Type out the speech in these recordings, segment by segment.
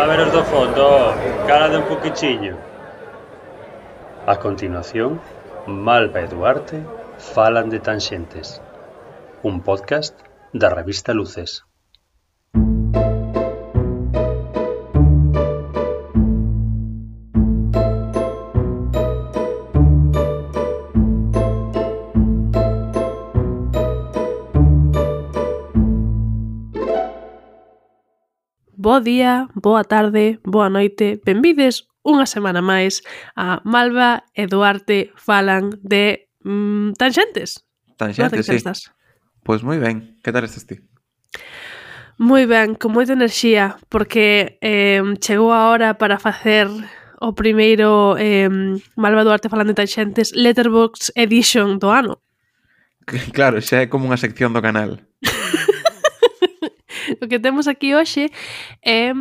A ver os do fondo, calade un poquichiño. A continuación, Malva e Duarte falan de Tanxentes, un podcast da revista Luces. Bo día, boa tarde, boa noite, benvides unha semana máis a Malva e Duarte falan de Tanxentes. Tanxentes, sí. Estás? Pois moi ben, que tal estás ti? Moi ben, con moita enerxía, porque chegou a hora para facer o primeiro Malva e Duarte falan de Tanxentes Letterboxd Edition do ano. Claro, xa é como unha sección do canal. O que temos aquí hoxe é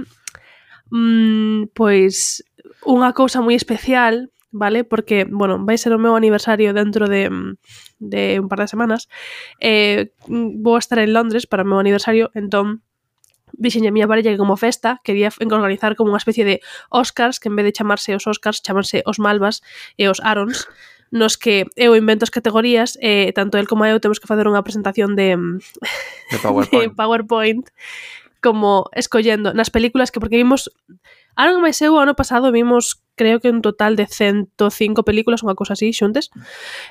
pois unha cousa moi especial, vale? Porque, bueno, vai ser o meu aniversario dentro de un par de semanas. Vou estar en Londres para o meu aniversario, entón dixenlle a miña parella que como festa quería organizar como unha especie de Oscars, que en vez de chamarse os Oscars, chamanse os Malvas e os Arons, nos que eu invento as categorías e tanto el como eu temos que facer unha presentación de PowerPoint como escollendo nas películas que porque vimos ano máis eu, ano pasado vimos creo que un total de 105 películas, unha cousa así, xuntes.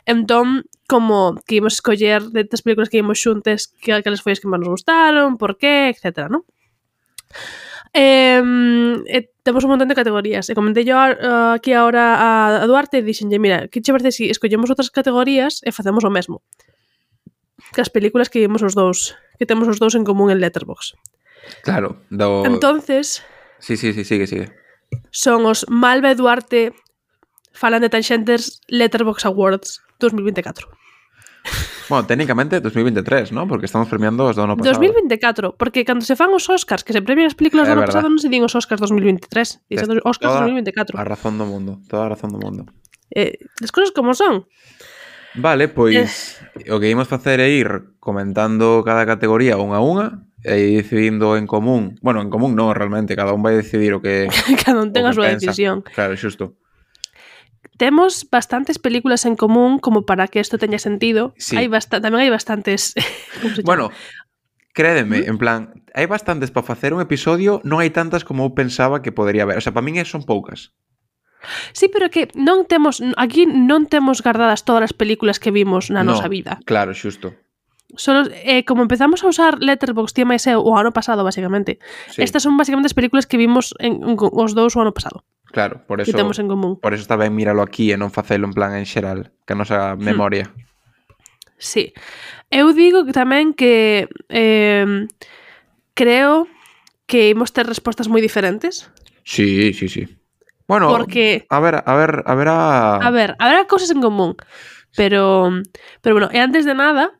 Entón, como que ímos escoller de estas películas que vimos xuntes que foi as que máis nos gustaron, por qué, etcétera, ¿no? Temos un montón de categorías e comentei yo aquí ahora a Duarte e dixenlle, mira, que che parece si escollemos outras categorías e facemos o mesmo que as películas que vimos os dous, que temos os dous en común en Letterboxd. Claro, Entonces Sí, sigue. Son os Malva e Duarte falan de Tanxentes Letterboxd Awards 2024. Bueno, técnicamente 2023, ¿no? Porque estamos premiando os do ano pasado. 2024, porque cando se fan os Oscars, que se premian as películas do ano pasado, non se din os Oscars 2023, dicen os Oscars 2024. A razón do mundo, toda a razón do mundo. As cousas como son. Vale, pois o que imos facer é ir comentando cada categoría unha a unha e ir decidindo en común. Bueno, en común non, realmente, cada un vai decidir o que cada un ten a súa decisión. Claro, xusto. Temos bastantes películas en común como para que isto teña sentido. Sí. Tamén hai bastantes... Bueno, crédeme, en plan, hai bastantes para facer un episodio, non hai tantas como eu pensaba que podería haber. O sea, para min son poucas. Sí, pero que non temos... Aquí non temos guardadas todas as películas que vimos na nosa vida. Claro, xusto. Solo, como empezamos a usar Letterboxd, tía máis eu, o ano pasado, basicamente. Sí. Estas son basicamente as películas que vimos os dous o ano pasado. Claro, por eso, que temos en común. Por eso está ben míralo aquí e non facelo en plan en xeral, que a nosa memoria. Sí. Eu digo que tamén que creo que imos ter respostas moi diferentes. Sí. Bueno, porque haberá cousas en común. Pero bueno, e antes de nada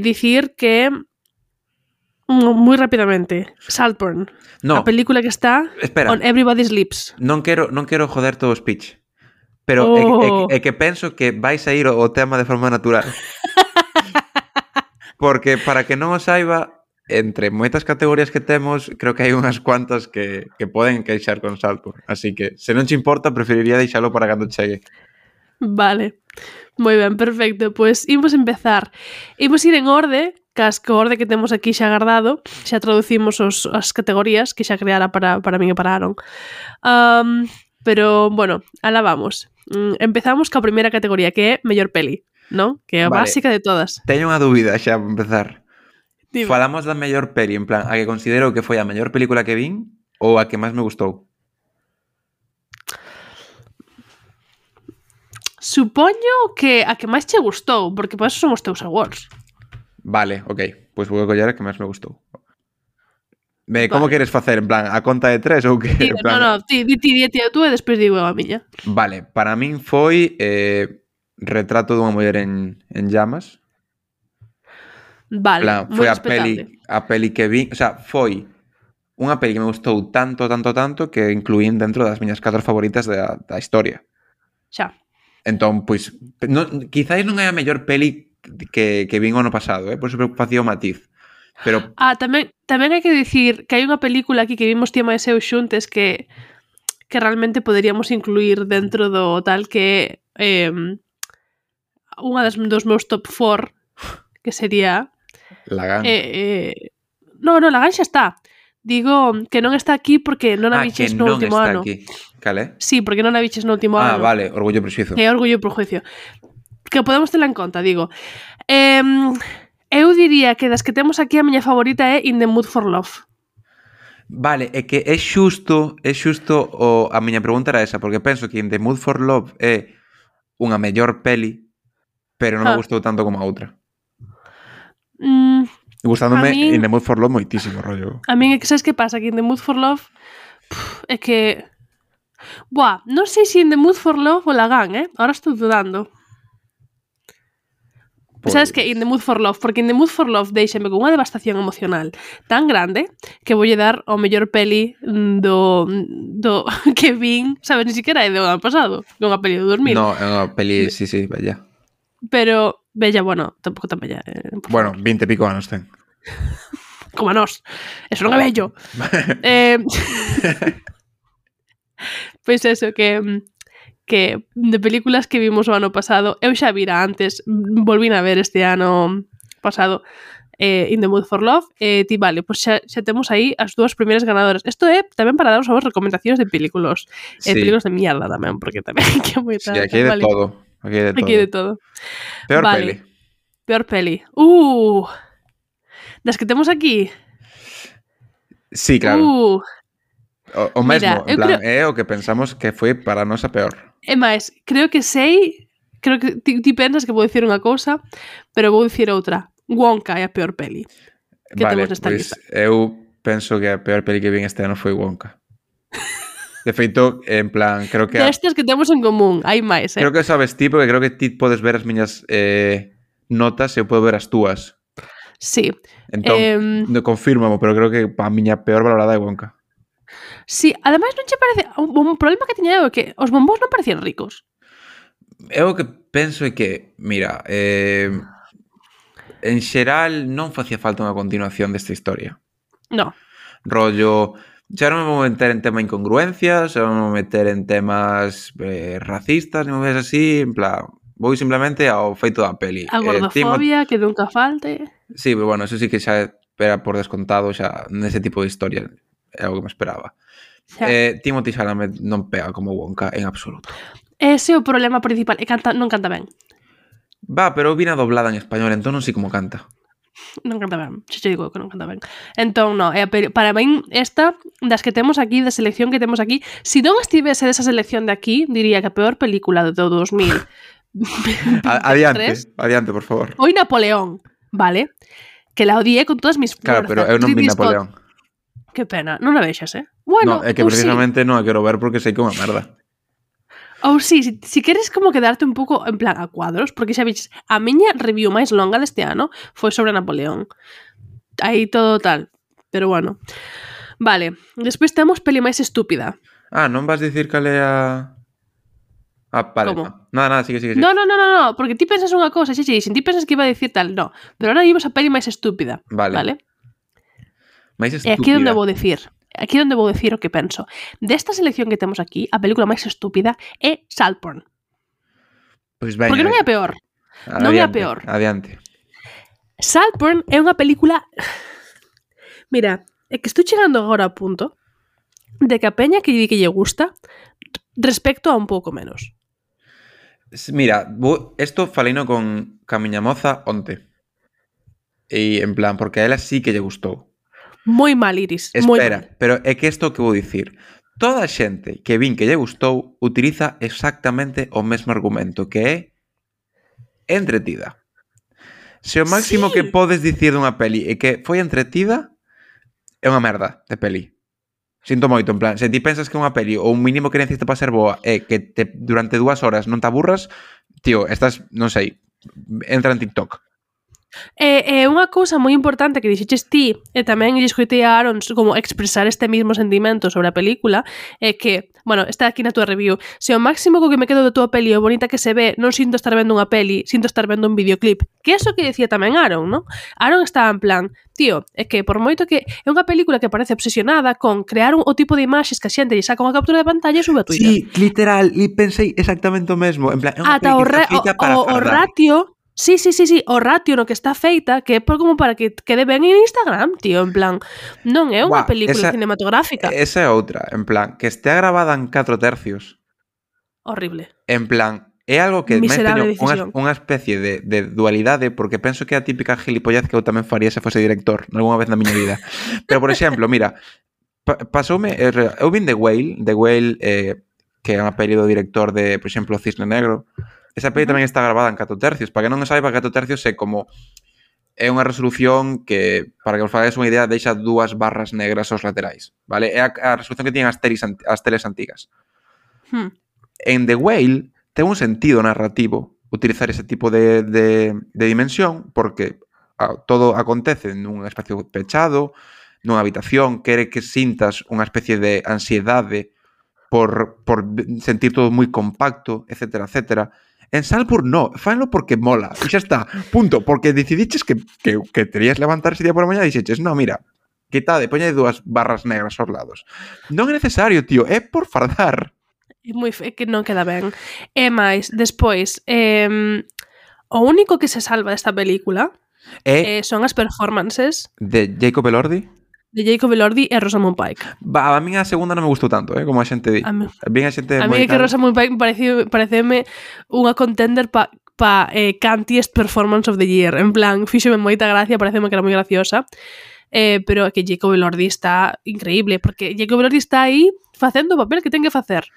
dicir que moi rapidamente Saltburn, a película que está on Everybody's Lips. Non quero joder todo o speech, pero é que penso que vai sair o tema de forma natural. Porque para que non o saiba, entre moitas categorías que temos, creo que hai unhas cuantas que poden queixar con Saltburn. Así que, se non te importa, preferiría deixalo para cando chegue. Vale, moi ben, perfecto. Pois imos empezar. Imos ir en orde, casco orde que temos aquí xa guardado. Xa traducimos as categorías que xa creara para min e para Aaron. Pero, bueno, alá vamos. Empezamos ca primeira categoría, que é mellor peli, non? Que é a básica de todas. Teño unha dúbida xa para empezar. Dime. Falamos da mellor peli, en plan, a que considero que foi a mellor película que vin ou a que máis me gustou? Supoño que a que máis che gustou, porque por eso son os teus awards. Vale, ok. Pois vou coller a que máis me gustou. Como queres facer? En plan, a conta de 3 ou que? No, ti tú e despois digo a miña. Vale, para min foi Retrato dunha muller en llamas. Vale, plan, foi a peli que vi, o sea, foi unha peli que me gustou tanto que incluín dentro das miñas 4 favoritas da historia. Xa. Entón, pois, quizáis non é a mellor peli que vin o ano pasado, por eso facía o matiz. Pero tamén hai que dicir que hai unha película aquí que vimos ti máis eu xuntes que realmente poderíamos incluir dentro do tal que unha dos meus top 4 que sería Lagan. No, Lagan xa está. Digo que non está aquí porque non a viches no último ano. Aquí. Cale? Sí, porque non a viches no último ano. Vale, Orgullo e Prexuizo. É Orgullo e Prejuicio. Que podemos tela en conta, digo. Eu diría que das que temos aquí a miña favorita é In the Mood for Love. Vale, é que é xusto a miña pregunta era esa, porque penso que In the Mood for Love é unha mellor peli, pero non me gustou tanto como a outra. Gustándome In the Mood for Love moitísimo, rollo. A min é que sabes que pasa? Que In the Mood for Love é que... non sei se In the Mood for Love ou Lagan, Ahora estou dudando. Pues... Sabes que In the Mood for Love? Porque In the Mood for Love deixame con unha devastación emocional tan grande que voulle dar ao mellor peli do que vin, sabes, ni siquiera é do ano pasado, é unha peli do 2000. No, é unha peli, sí, bella. Pero, bella, bueno, tampouco tan bella. Bueno, 20 e pico anos ten. Como a nós. Eso non é bello. Pois eso, que de películas que vimos o ano pasado, eu xa vira antes, volvín a ver este ano pasado In the Mood for Love, ti vale, pois xa temos aí as dúas primeiras ganadoras. Isto é tamén para daros as recomendacións de películas. Películas de mierda tamén, porque tamén que moita. Sí, aquí hai de todo. Aquí hai de todo. Peor peli. Peor peli. Das que temos aquí. Sí, claro. O mesmo, mira, en plan, é o que pensamos que foi para nós a peor. É máis, creo que ti pensas que vou dicir unha cousa, pero vou dicir outra. Wonka é a peor peli que temos nesta lista. Eu penso que a peor peli que vi este ano foi Wonka. De feito, en plan, creo que... Destas que temos en común, hai máis, Creo que sabes ti, porque creo que ti podes ver as miñas notas e eu podo ver as túas. Sí. Entón, confírmamo, pero creo que a miña peor valorada é Wonka. Sí, ademais non che parece... Un problema que tiña eu é que os bombóns non parecían ricos. Eu o que penso é que, mira, en xeral non facía falta unha continuación desta historia. No. Rollo, xa non me vou meter en tema incongruencias, xa non me vou meter en temas racistas, non me ves así, en plan, vou simplemente ao feito da peli. A gordofobia, que nunca falte. Sí, pero bueno, eso sí que xa era por descontado, xa nese tipo de historia é algo que me esperaba. Timothy Chalamet non pega como Wonka en absoluto. Ese é o problema principal, non canta ben. Pero vina doblada en español, entón non sei como canta. Non canta ben, xe digo que non canta ben. Entón, non, para min esta, das que temos aquí, da selección que temos aquí, se non estivese desa selección de aquí, diría que a peor película do 2000. Adiante, por favor. Foi Napoleón, vale? Que la odié con todas mis fuerzas. Claro, pero eu non vi Napoleón. Que pena, non a vexas, Bueno, no, é que precisamente non a quero ver porque sei que é unha merda. Ou si queres como quedarte un pouco en plan a cuadros, porque xa viches, a miña review máis longa deste ano foi sobre Napoleón. Aí todo tal, pero bueno. Vale, despois temos peli máis estúpida. Non vas dicir cal é a... Vale. Como? Nada, sigue. No, porque ti pensas unha cousa, ti pensas que iba a dicir tal, no. Pero ahora imos a peli máis estúpida. Vale? Máis estúpida. E aquí onde vou dicir o que penso. Desta selección que temos aquí, a película máis estúpida é Saltburn. Pois ben. Porque non é a peor. Non é a peor. Adiante. Saltburn é unha película... Mira, é que estou chegando agora ao punto de que a peña que di que lle gusta respecto a un pouco menos. Mira, esto faleino con a miña moza onte. E en plan, porque a ela sí que lle gustou. Moi mal, Iris. Espera, pero é que isto que vou dicir. Toda a xente que vin que lle gustou utiliza exactamente o mesmo argumento, que é entretida. Se o máximo que podes dicir dunha peli é que foi entretida, é unha merda de peli. Sinto moito, en plan, se ti pensas que unha peli ou un mínimo que necesita para ser boa é que durante 2 horas non te aburras, tío, estás, non sei, entra en TikTok. Unha cousa moi importante que dixeches ti, e tamén lle escoitei a Aaron como expresar este mismo sentimento sobre a película, é que, bueno, está aquí na túa review, se o máximo co que me quedo da túa peli é o bonita que se ve, non sinto estar vendo unha peli, sinto estar vendo un videoclip. Que é eso que decía tamén Aaron, non? Aaron está en plan, tío, é que por moito que é unha película que parece obsesionada con crear o tipo de imaxes que a xente lle saca unha captura de pantalla e sube a Twitter. Sí, literal, e pensei exactamente o mesmo. En plan, é unha Ata peli que está feita para o fardar. ratio. Sí, o ratio no que está feita que é como para que quede ben en Instagram, tío, en plan, non é unha película cinematográfica. Esa é outra, en plan, que estea grabada en 4 tercios. Horrible. En plan, é algo que Miserable teño unha especie de dualidade, porque penso que é a típica gilipollez que eu tamén faría se fose director algunha vez na miña vida. Pero, por exemplo, mira, pasoume, eu vin The Whale, que é unha peli do director de, por exemplo, Cisne Negro. Esa peli tamén está grabada en 4 tercios. Para que non saiba, 4 tercios é como... É unha resolución que, para que vos fagades unha idea, deixa 2 barras negras aos laterais, vale? É a resolución que tienen as teles antigas. En The Whale ten un sentido narrativo utilizar ese tipo de dimensión, porque todo acontece nun espacio pechado, nunha habitación, quere que sintas unha especie de ansiedade por sentir todo moi compacto, etcétera, etcétera. En Salzburg no, fanlo porque mola, e xa está, punto, porque decidiches que terías levantar ese día por a mañá e dixeches, no, mira, quitade, poñade 2 barras negras aos lados. Non é necesario, tío, é por fardar. É que non queda ben. E máis, despois, o único que se salva desta película son as performances de Jacob Elordi, de Jacob Elordi e Rosamund Pike. A mí a segunda non me gustou tanto, como a xente di. A mí a é que Rosamund Pike pareceme unha contender pa Cantiest Performance of the Year. En plan, fíxome moita gracia, pareceme que era moi graciosa. Pero que Jacob Elordi está increíble, porque Jacob Elordi está aí facendo o papel que ten que facer.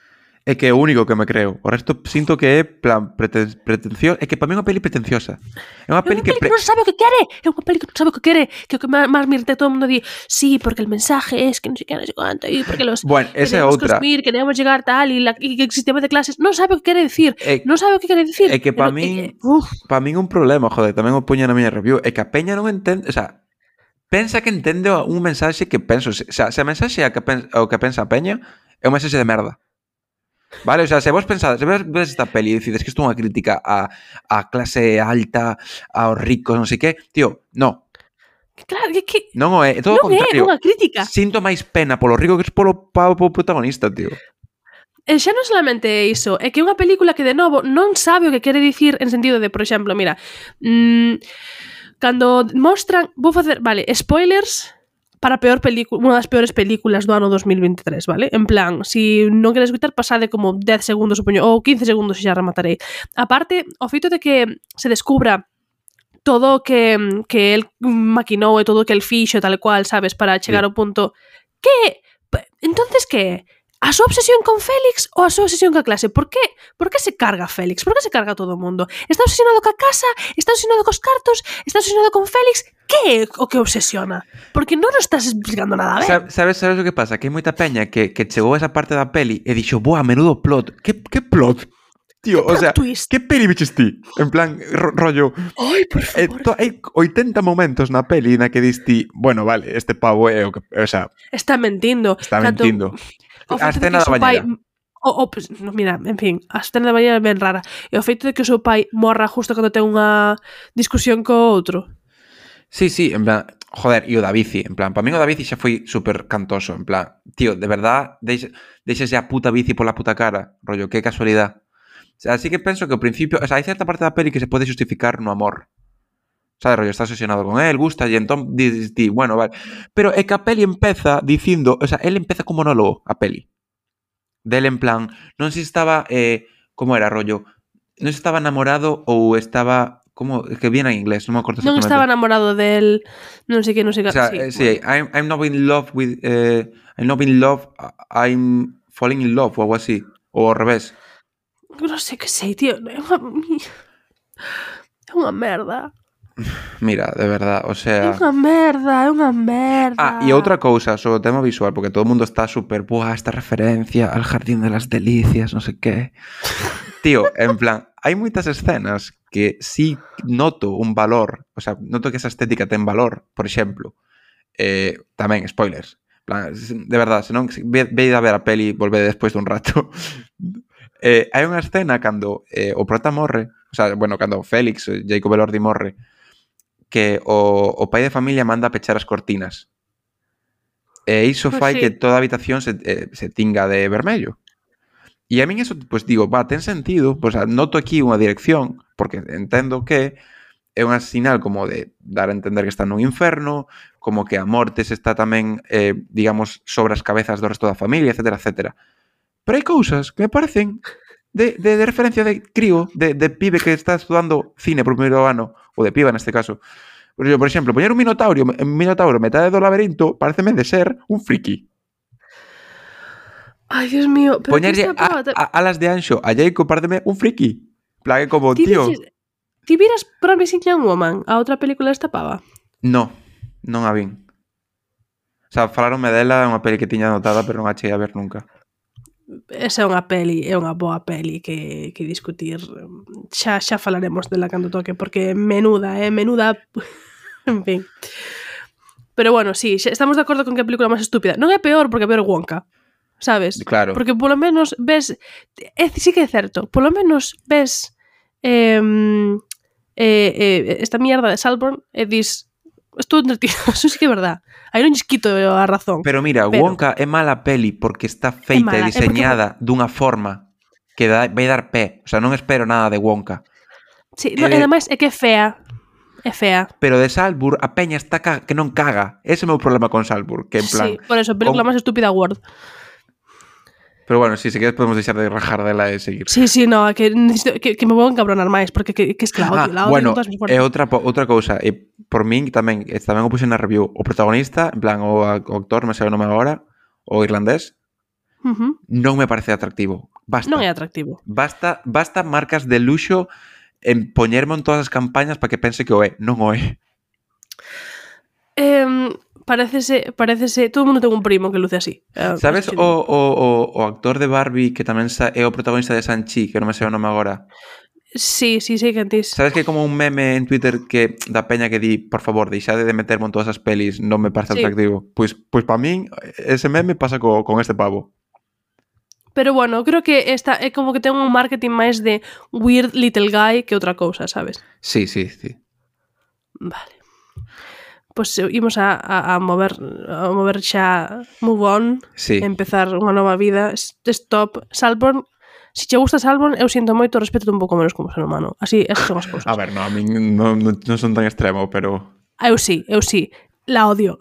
É que é o único que me creo. O resto sinto que é plan pretencioso. É que para mí é unha peli pretenciosa. É unha peli que non sabe o que quere. É unha peli que non sabe o que quere. Que o que máis me irrita todo o mundo di, sí, porque el mensaje es que non sei que, non sei cuánto, e porque los bueno, esa é outra. Queremos llegar tal, e que el sistema de clases non sabe o que quere decir. Non sabe o que quere decir. É que para min un problema, joder, tamén o poño na miña review, é que a peña non entende, o sea, pensa que entende un mensaxe que penso, o sea, se a mensaxe é o que pensa a peña, é un mensaxe de merda. Vale, o sea, se vos pensades, se ves esta peli e decides que isto é unha crítica a clase alta, aos ricos, non sei que, tío, no. Claro, que non é todo o contrario. Non é unha crítica. Sinto máis pena polo rico que polo protagonista, tío. E xa non solamente iso, é que é unha película que, de novo, non sabe o que quere dicir en sentido de, por exemplo, mira, cando mostran, vou facer, vale, spoilers para unha das peores películas do ano 2023, vale? En plan, si non queres escutar, pasade como 10 segundos, supoño, ou 15 segundos e xa rematarei. Aparte, o feito de que se descubra todo o que el maquinou e todo o que el fixo tal cual, sabes, para chegar ao punto que, entonces que a súa obsesión con Félix ou a súa obsesión ca clase? Por que se carga Félix? Por que se carga todo o mundo? Está obsesionado ca casa? Está obsesionado cos cartos? Está obsesionado con Félix? Que é o que obsesiona? Porque non nos estás explicando nada ben. Sabes o que pasa? Que hai moita peña que chegou a esa parte da peli e dixo, boa, menudo plot. Que plot? Tío, o sea, que peli biches ti? En plan, rollo... Ai, por favor. Hai 80 momentos na peli na que dis ti, bueno, vale, este pavo é o que... O sea... Está mentindo. A escena da bañera. Pues, mira, en fin, a escena da bañera é ben rara. E o feito de que o seu pai morra justo cando ten unha discusión co outro. Sí, en plan, joder, e o da bici, en plan, para mí o da bici xa foi super cantoso, en plan, tío, de verdad, deixes a puta bici pola puta cara, rollo, que casualidade. O sea, así que penso que ao principio, o sea, hai certa parte da peli que se pode justificar no amor. Sabes, rollo, está obsesionado con él, gusta, e entón di, bueno, vale. Pero é que a peli empeza dicindo, o sea, él empeza como monólogo, a peli. Del en plan, non sei se estaba, como era, rollo, non se estaba enamorado ou estaba, como, que viene en inglés, non me acordo exactamente. Non estaba enamorado del, non sei que, o sea, sí, bueno. I'm not in love with, I'm not in love, I'm falling in love, ou algo así, ou ao revés. Non sei que sei, tío, é unha merda. Mira, de verdad, o É sea... unha merda. E outra cousa sobre o tema visual, porque todo o mundo está súper, buah, esta referencia al Jardín de las Delicias, non sei qué. Tío, en plan, hai moitas escenas que sí noto un valor, o sea, noto que esa estética ten valor, por exemplo, tamén, spoilers, en plan, de verdad, se non, veid a ver a peli, volvede despois dun rato. Hai unha escena cando o prota morre, o sea, bueno, cando Félix, Jacob Elordi morre, que o pai de familia manda a pechar as cortinas. E iso Pois fai sí. que toda a habitación se tinga de vermello. E a min eso, pues digo, ten sentido, pues noto aquí unha dirección, porque entendo que é unha sinal como de dar a entender que está nun inferno, como que a morte se está tamén, digamos, sobre as cabezas do resto da familia, etcétera, etcétera. Pero hai cousas que me parecen de referencia de crío, de pibe que está estudando cine por primeiro ano, ou de piba neste caso. Por exemplo, poñer un minotauro metade do laberinto pareceme de ser un friki. Ai, Dios mío, pero Poñerlle alas de anxo a Jacob pareceme un friki. Plague como, tío... Ti viras Promising Young Woman, a outra película desta pava? Non a vin. O sea, falaronme dela, é unha peli que tiña anotada, pero non a cheguei a ver nunca. Esa é unha boa peli que discutir. Xa falaremos dela cando toque, porque menuda. En fin. Pero bueno, sí, estamos de acordo con que a película máis estúpida. Non é peor porque é peor Wonka, sabes? Claro. Porque polo menos ves... sí que é certo. Polo menos ves esta mierda de Saltburn e dis... Estou entretido, eso sí que é verdad. Aí non lles quito a razón. Pero mira, Wonka é mala peli porque está feita e diseñada dunha forma que vai dar pé. O sea, non espero nada de Wonka. Sí, e ademais é que é fea. É fea. Pero de Saltburn a peña está que non caga. Ese é o meu problema con Saltburn, que en plan... Sí, por eso, película máis estúpida World. Pero bueno, si queres podemos deixar de rajar dela e seguir. Sí, no, que me vou encabronar máis, porque que es que la odio. Bueno, é outra cousa. E por min tamén o puse na review. O protagonista, en plan, o actor, me sei o nome agora, o irlandés, non me parece atractivo. Basta. Non é atractivo. Basta marcas de luxo en poñerme en todas as campañas para que pense que o é. Non o é. Parecese, todo o mundo ten un primo que luce así. Sabes o actor de Barbie que tamén é o protagonista de Shang-Chi, que non me sei o nome agora? Sí, que antes. Sabes que hai como un meme en Twitter que da peña que di, por favor, deixade de meterme en todas as pelis, non me parece atractivo. Pois para min, ese meme pasa con este pavo. Pero bueno, creo que esta é como que ten un marketing máis de weird little guy que outra cousa, sabes? Sí. Vale. Pois imos a mover xa move on, empezar unha nova vida. Stop. Saltburn, se che gusta Saltburn, eu sinto moito, respeto un pouco menos como ser humano. Así, esas son as cousas. A ver, no, a mí non son tan extremo, pero... Eu sí, la odio.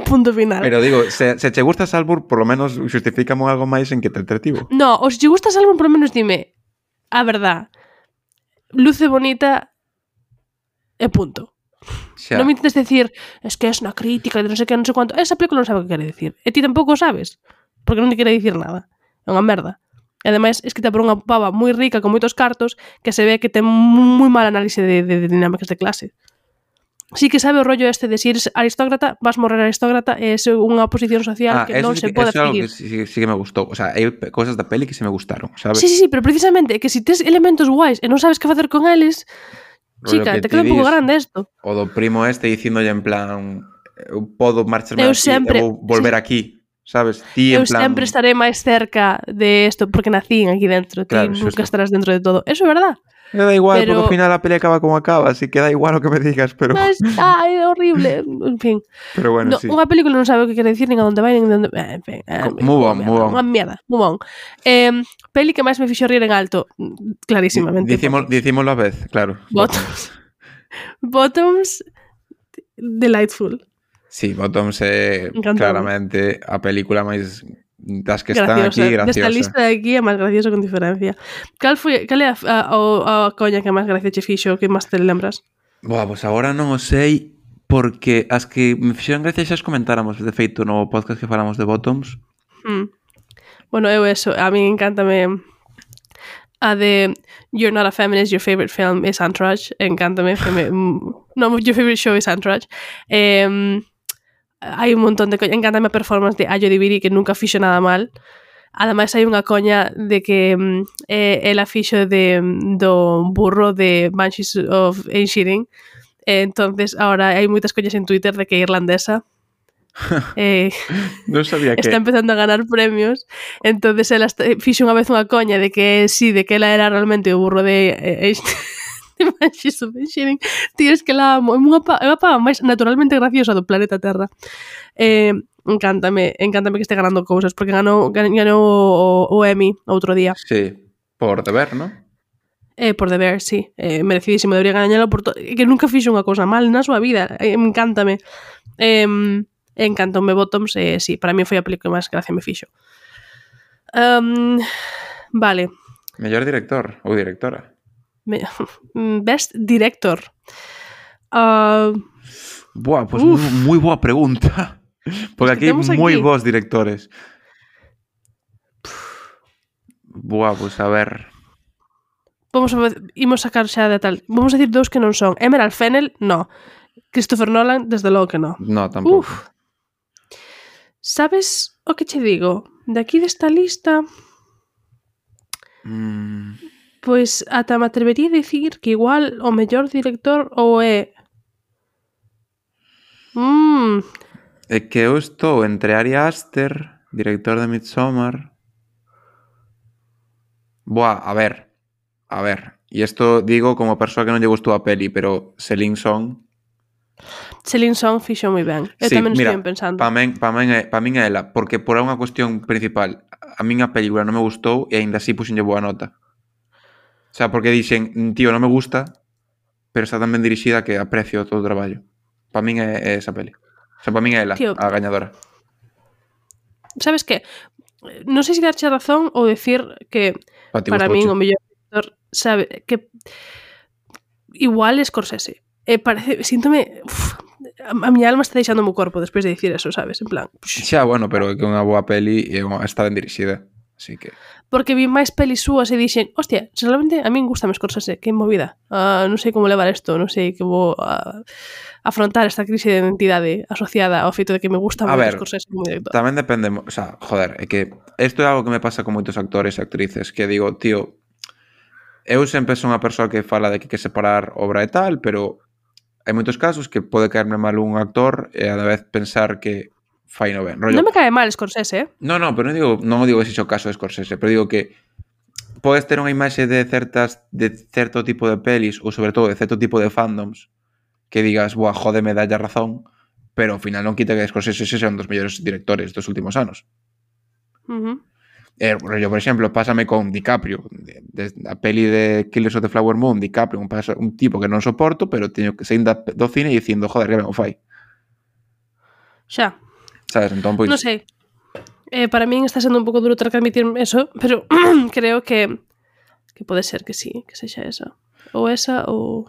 Punto final. Pero digo, se che gusta Saltburn, por lo menos justifícame algo máis en que te entretivo. No, ou se che gusta Saltburn, por lo menos dime a verdad, luce bonita e punto. Xa. Non me intentes decir, es que es unha crítica de non sei que, non sei cuánto. Esa película non sabe o que quere decir. E ti tampouco sabes, porque non te quere dicir nada. É unha merda. E ademais, escrita por unha pava moi rica con moitos cartos que se ve que ten moi mal análise de dinámicas de clase. Sí que sabe o rollo este de si eres aristócrata, vas morrer aristócrata e é unha posición social que non se pode adquirir. Eso é algo que sí que me gustou. O sea, hai cosas da peli que se me gustaron, sabes? Sí, pero precisamente que si tes elementos guais e non sabes que facer con eles... Chica, te queda un pouco grande isto. O do primo este dicíndolle en plan, eu podo marcharme aquí, eu vou volver aquí, sabes? Ti en plan... sempre estaré máis cerca de isto porque nací aquí dentro, claro, ti nunca estarás dentro de todo. Eso é verdad. Me da igual, porque ao final a peli acaba como acaba, así que da igual o que me digas, pero... Ai, é horrible, en fin. Pero bueno, sí. Unha película non sabe o que quere decir, nin a onde vai, nin a onde... En fin, move on. Unha mierda, move on. Peli que máis me fixo rir en alto, clarísimamente. Dicímolo a vez, claro. Bottoms, delightful. Sí, Bottoms é claramente a película máis das que están aquí graciosa. Desta lista de aquí é máis graciosa con diferencia. Cal é a coña que máis gracia che fixo, que máis te lembras? Boa, pois agora non o sei, porque as que me fixeron gracia xa as comentáramos, de feito, no podcast que falamos de Bottoms. Bueno, eu eso, a mí encántame A de You're not a feminist, your favorite film is Entourage. Encántame. No, your favorite show is Entourage. Hai un montón de coña. Encántame a performance de Ayo Diviri, que nunca fixo nada mal. Ademais, hai unha coña de que ela fixo do burro de Banshees of Inisherin. Entonces, ahora hai moitas coñas en Twitter de que é irlandesa. Non sabía que... Está empezando a ganar premios. Entonces, ela fixo unha vez unha coña de que sí, de que ela era realmente o burro de Banshees of Inisherin. Tío, es que la amo. É unha pava máis naturalmente graciosa do planeta Terra. Encántame que este ganando cousas, porque ganou o Emmy outro día. Sí, por deber, ¿no? Por deber, sí. Merecidísimo, debería gañalo por que nunca fixo unha cousa mal na súa vida. Encántame. Encantoume Bottoms, sí, para mí foi a película máis gracia me fixo. Vale. Mellor director ou directora. Best Director. Buah, pues moi boa pregunta. Porque aquí hai moi bons directores. Buah, pues a ver. Imos sacar xa de tal. Vamos a decir dous que non son. Emerald Fennell, no. Christopher Nolan, desde logo que no. No, tampouco. Sabes o que che digo? De aquí desta lista... Pois ata me atrevería a dicir que igual o mellor director ou é... É que eu estou entre Ari Aster, director de Midsommar. Buah, a ver. E isto digo como persoa que non lle gustou a peli, pero Celine Song fixo moi ben. Eu sí, tamén mira, estou pensando. Pa min é ela, porque por unha cuestión principal, a min a película non me gustou e aínda así puxenlle boa nota. O sea, porque dixen, tío, non me gusta, pero está tan ben dirixida que aprecio todo o traballo. Pa min é esa peli. O sea, pa min é ela, tío, a gañadora. Sabes que? Non sei se darche razón ou decir que para min o mellor director, sabe, que igual Scorsese. Síntome... a miña alma está deixando o meu corpo despois de dicir eso, sabes? En plan... Xa, bueno, pero é que unha boa peli e está ben dirixida. Así que... Porque vi máis pelis súas e dixen, hostia, realmente a min gustame Scorsese, que movida. Non sei como levar isto, non sei que vou afrontar esta crise de identidade asociada ao feito de que me gusta moito Scorsese como director. Tamén depende, o sea, joder, é que isto é algo que me pasa con moitos actores e actrices, que digo, tío, eu sempre son unha persoa que fala de que hai que separar obra e tal, pero hai moitos casos que pode caerme mal un actor e a la vez pensar que fai no ben. Rollo... Non me cae mal Scorsese, No, pero non digo ese o caso de Scorsese, pero digo que podes ter unha imaxe de certo tipo de pelis ou sobre todo de certo tipo de fandoms que digas, buah, jódeme, dalle razón, pero ao final non quita que Scorsese sexa un dos mellores directores dos últimos anos. Rollo, por exemplo, pásame con DiCaprio, a peli de Killers of the Flower Moon, DiCaprio, un tipo que non soporto, pero teño que sair do cine dicindo, joder, que ben o fai. Xa. Sabes, entón, pois... Non sei. Para min está sendo un pouco duro ter que admitir eso, pero creo que pode ser que sí, que sexa esa. Ou esa, ou...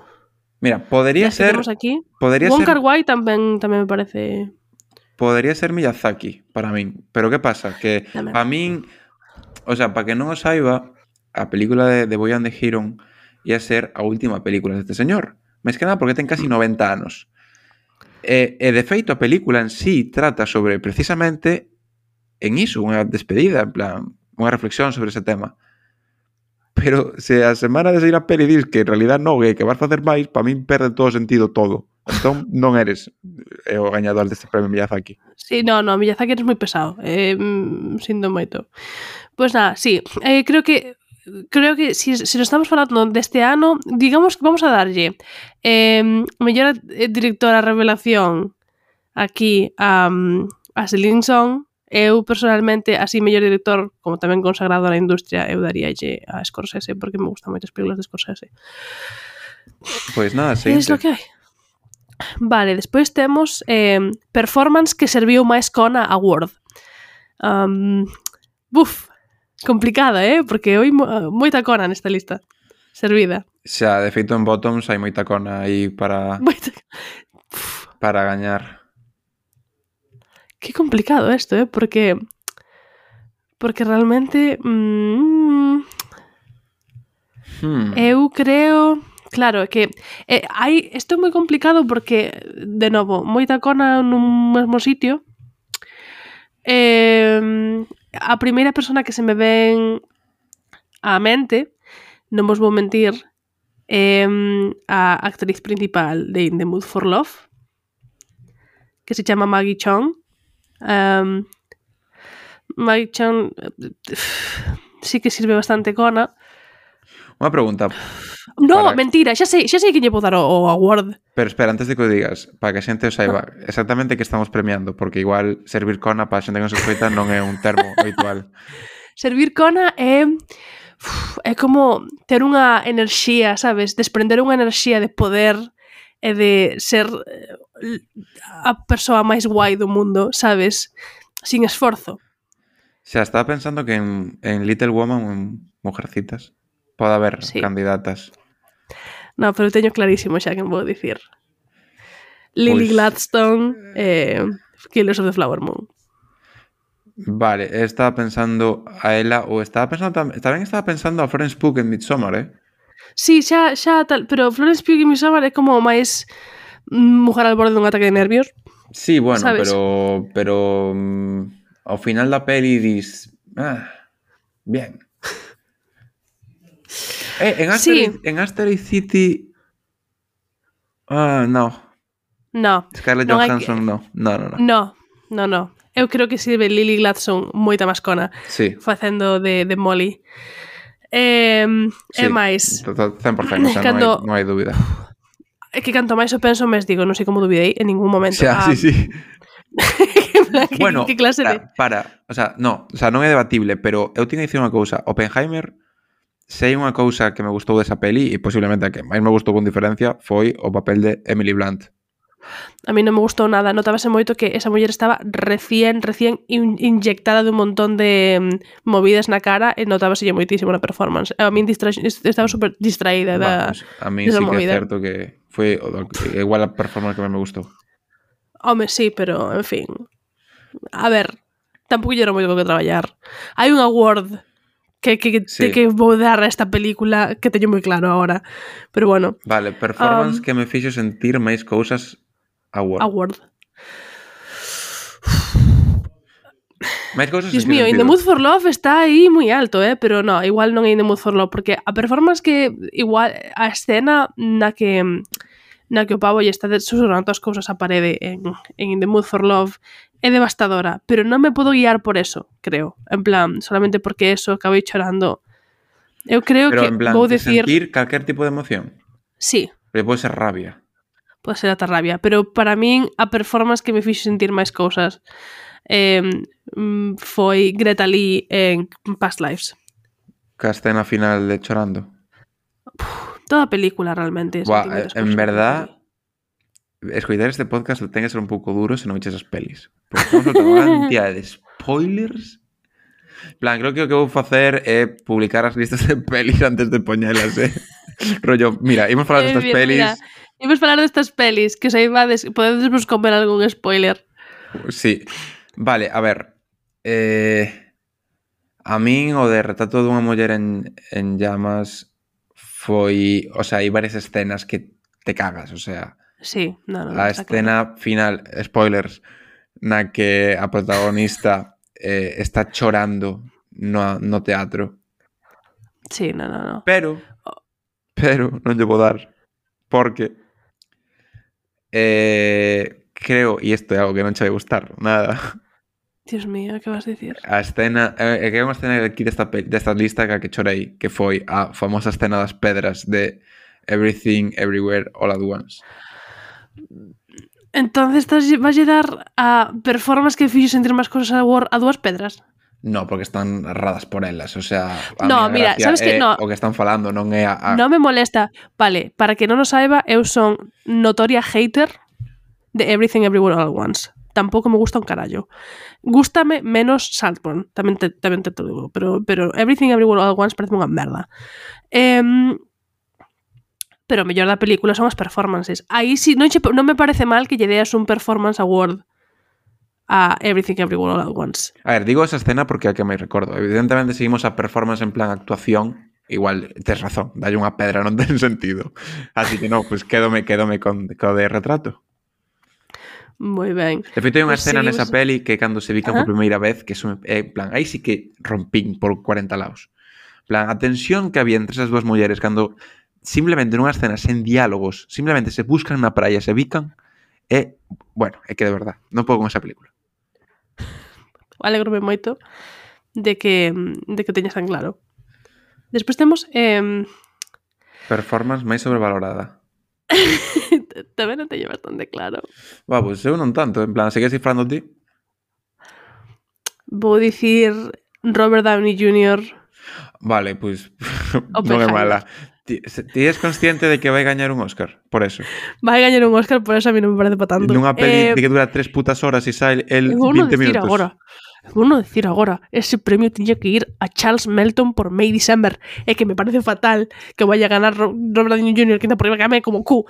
Mira, podría ser... Aquí. Podría Wong ser... Kar-wai tamén me parece... Podría ser Miyazaki, para min. Pero que pasa? Que tamén. A min... O sea, para que non o saiba, a película de Boy and the Heron ia ser a última película deste señor. Máis que nada porque ten casi 90 anos. E de feito, a película en sí trata sobre, precisamente, en iso, unha despedida, en plan, unha reflexión sobre ese tema. Pero se a semana de sair a peli dis que en realidad non é que vas facer máis, para min perde todo o sentido todo. Entón non eres o gañador deste premio Miyazaki. Sí, no, Miyazaki eres moi pesado. Sinto moito. Pois nada, sí, creo que si nos estamos falando deste ano, digamos que vamos a darlle mellor directora revelación aquí a Celine Song. Eu personalmente, así mellor director, como tamén consagrado na industria, eu daríalle a Scorsese porque me gustan moitas películas de Scorsese. Pois nada, seguinte. É lo que hai. Vale, despois temos performance que serviu máis Kona Award. Complicada, porque hai moita Kona nesta lista. Servida. Xa, de feito en Bottoms hai moita Kona aí para gañar. Qué complicado esto, porque realmente Eu creo... Claro, que isto é moi complicado porque, de novo, moita cona nun mesmo sitio. A primeira persona que se me ven á mente, non vos vou mentir, a actriz principal de In the Mood for Love, que se chama Maggie Cheung. Maggie Cheung sí que sirve bastante cona. Unha pregunta. No, mentira, xa sei que lle vou dar o award. Pero espera, antes de que o digas, para que a xente o saiba exactamente que estamos premiando, porque igual servir cona para a xente que non se escoita non é un termo habitual. Servir cona é como ter unha enerxía, sabes? Desprender unha enerxía de poder e de ser a persoa máis guai do mundo, sabes? Sin esforzo. Xa, estaba pensando que en Little Woman, en Mujercitas, pode haber candidatas. No, pero teño clarísimo xa que vou dicir. Lily Gladstone, Killers of the Flower Moon. Vale, estaba pensando a ela, ou estaba pensando a Florence Pugh en Midsommar, Sí, xa tal, pero Florence Pugh en Midsommar é como máis mujer al borde dun ataque de nervios. Sí, bueno, ¿sabes? pero ao final da peli dis, bien. En Asteroid City... no. Scarlett Johansson non. No. Eu creo que sirve Lily Gladstone moita máis cona facendo de Molly. É máis 100%, o sea, non hai dúbida. É que canto máis o penso, mes digo, non sei como dubidei en ningún momento. Sí. Bueno, que clase de... o sea, non é debatible, pero eu teño que dicir unha cousa. Oppenheimer, se hai unha cousa que me gustou desa peli, e posiblemente a que máis me gustou con diferencia, foi o papel de Emily Blunt. A mí non me gustou nada, notábase moito que esa muller estaba recién inyectada de un montón de movidas na cara e notábase moitísimo na performance. A mí estaba super distraída a mí sí que é certo que foi igual a performance que me gustou. Home, sí, pero, en fin. A ver, tampouco lle era moito que traballar. Hai un award que vou dar a esta película que teño moi claro agora. Pero bueno. Vale, performance que me fixo sentir máis cousas award. Máis cousas. Dios mío, In the Mood for Love está aí moi alto, pero no, igual non é In the Mood for Love, porque a performance que igual a escena na que o pavo lle está susurrando as cousas á parede en In the Mood for Love é devastadora, pero non me podo guiar por eso, creo. En plan, solamente porque eso acabei chorando. Eu creo pero que en plan, vou decir... sentir calquer tipo de emoción? Sí. Pero pode ser rabia. Pode ser ata rabia, pero para min a performance que me fixo sentir máis cousas foi Greta Lee en Past Lives. Que a escena final de chorando. Toda a película realmente. En verdad, escoitar este podcast ten que ser un pouco duro se non eches as pelis. Porque estamos soltando unha cantidad de spoilers. Plan, creo que o que vou facer é publicar as listas de pelis antes de poñelas, Rollo, mira, imos falar destas pelis. Mira, imos falar destas pelis, que saibades, podedes vos comer algún spoiler. Sí. Vale, a ver. A min o de Retrato dunha muller en llamas foi, o sea, hai varias escenas que te cagas, o sea, sí, a escena final, spoilers, na que a protagonista está chorando no teatro. Sí, no. Pero non lle vou dar, porque creo, e isto é algo que non che vai gustar nada. Dios mío, que vas a dicir? A escena, que é unha escena aquí desta lista que chorei, que foi a famosa escena das pedras de Everything, Everywhere, All at Once. Entonces vas a dar a performance que fixo sentir máis cosas a dúas pedras? No, porque están narradas por elas, o sea, no, mira, sabes que no, o que están falando non é a... Non me molesta. Vale, para que non o saiba, eu son notoria hater de Everything, Everywhere, All at Once. Tampouco me gusta un carallo. Gústame menos Saltburn, tamén te digo, pero Everything, Everywhere, All at Once parece unha merda. Pero o mellor da película son as performances. Aí sí, non me parece mal que lle deas un performance award a Everything, Everywhere, All at Once. A ver, digo esa escena porque é a que me recordo. Evidentemente seguimos a performance en plan actuación, igual tes razón, dalle unha pedra non ten sentido. Así que non, pues quédome co de Retrato. Moi ben. De feito, hai unha Pois escena nesa seguimos- peli que cando se bican Ajá. por primeira vez, que son, en plan, aí sí que rompín por 40 lados. En plan, a tensión que había entre esas dúas mulleres cando simplemente nunha escena sen diálogos, simplemente se buscan na praia, se bican, bueno, é que de verdad, non podo con esa película. Alegrome moito de que teñas tan claro. Despois temos Performance máis sobrevalorada. tamén non teño bastante claro. Va, pues eu non tanto, en plan, segues cifrando ti? Vou dicir Robert Downey Jr. Vale, pues non é Oppenheimer. mala. Ti és consciente de que vai gañar un Óscar por eso? Vai gañar un Óscar, por eso a mí non me parece para tanto. Nunha peli de que dura 3 putas horas e sai el Vou 20 decir minutos. agora, ese premio tiña que ir a Charles Melton por May December. É que me parece fatal que vaya a ganar Robert Downey Jr. que por riba que ame como Q.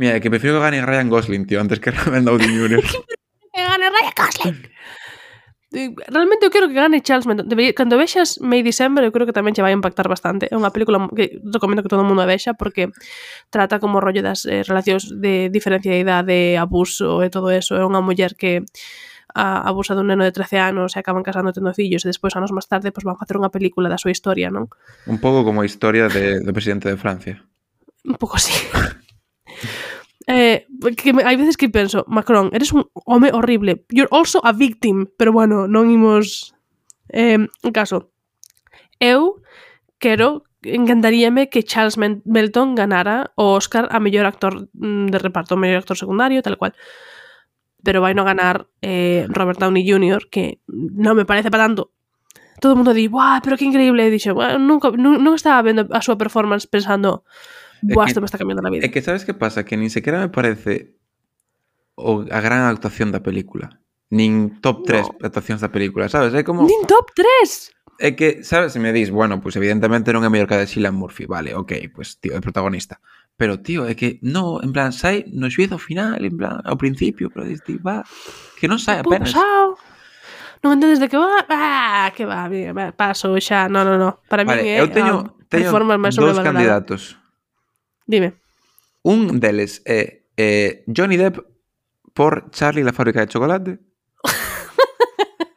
Mira, que prefiero que gane Ryan Gosling, tío, antes que Robert Downey Jr. Que gane Ryan Gosling. Realmente eu quero que gane Charles Melton. Cando vexas May December, eu creo que tamén che vai impactar bastante. É unha película que recomendo que todo o mundo a vexa porque trata como rollo das relacións de diferencia de idade, abuso e todo eso. É unha muller que abusa dun neno de 13 anos e acaban casando tendo fillos e despois anos máis tarde pues, van facer unha película da súa historia, non? Un pouco como a historia do presidente de Francia. Un pouco así. Hai veces que penso, Macron, eres un home horrible. You're also a victim. Pero bueno, non imos... En caso, eu encantaríame que Charles Melton ganara o Óscar a mellor actor de reparto, mellor actor secundario, tal cual. Pero vai non ganar Robert Downey Jr., que non me parece para tanto. Todo o mundo di, "Buah, pero que increíble." E dixo, "Bueno, non estaba vendo a súa performance pensando, buah, isto me está cambiando a vida." É que sabes que pasa? Que nin sequera me parece a gran actuación da película. Nin top 3 actuacións da película, sabes? É como... Nin top 3! É que, sabes, se me dis, bueno, pues evidentemente non é mellor que a de Cillian Murphy, vale, ok, pues tío, é protagonista. Pero, tío, é que, no, en plan, sai no xuízo final, en plan, ao principio, pero dis, tío, va, que non sai apenas. Pasao. Non entendes de que va? Que va, paso xa, no. Para Vale, mí eu teño dous candidatos. Dime. Un deles é Johnny Depp por Charlie la fábrica de chocolate.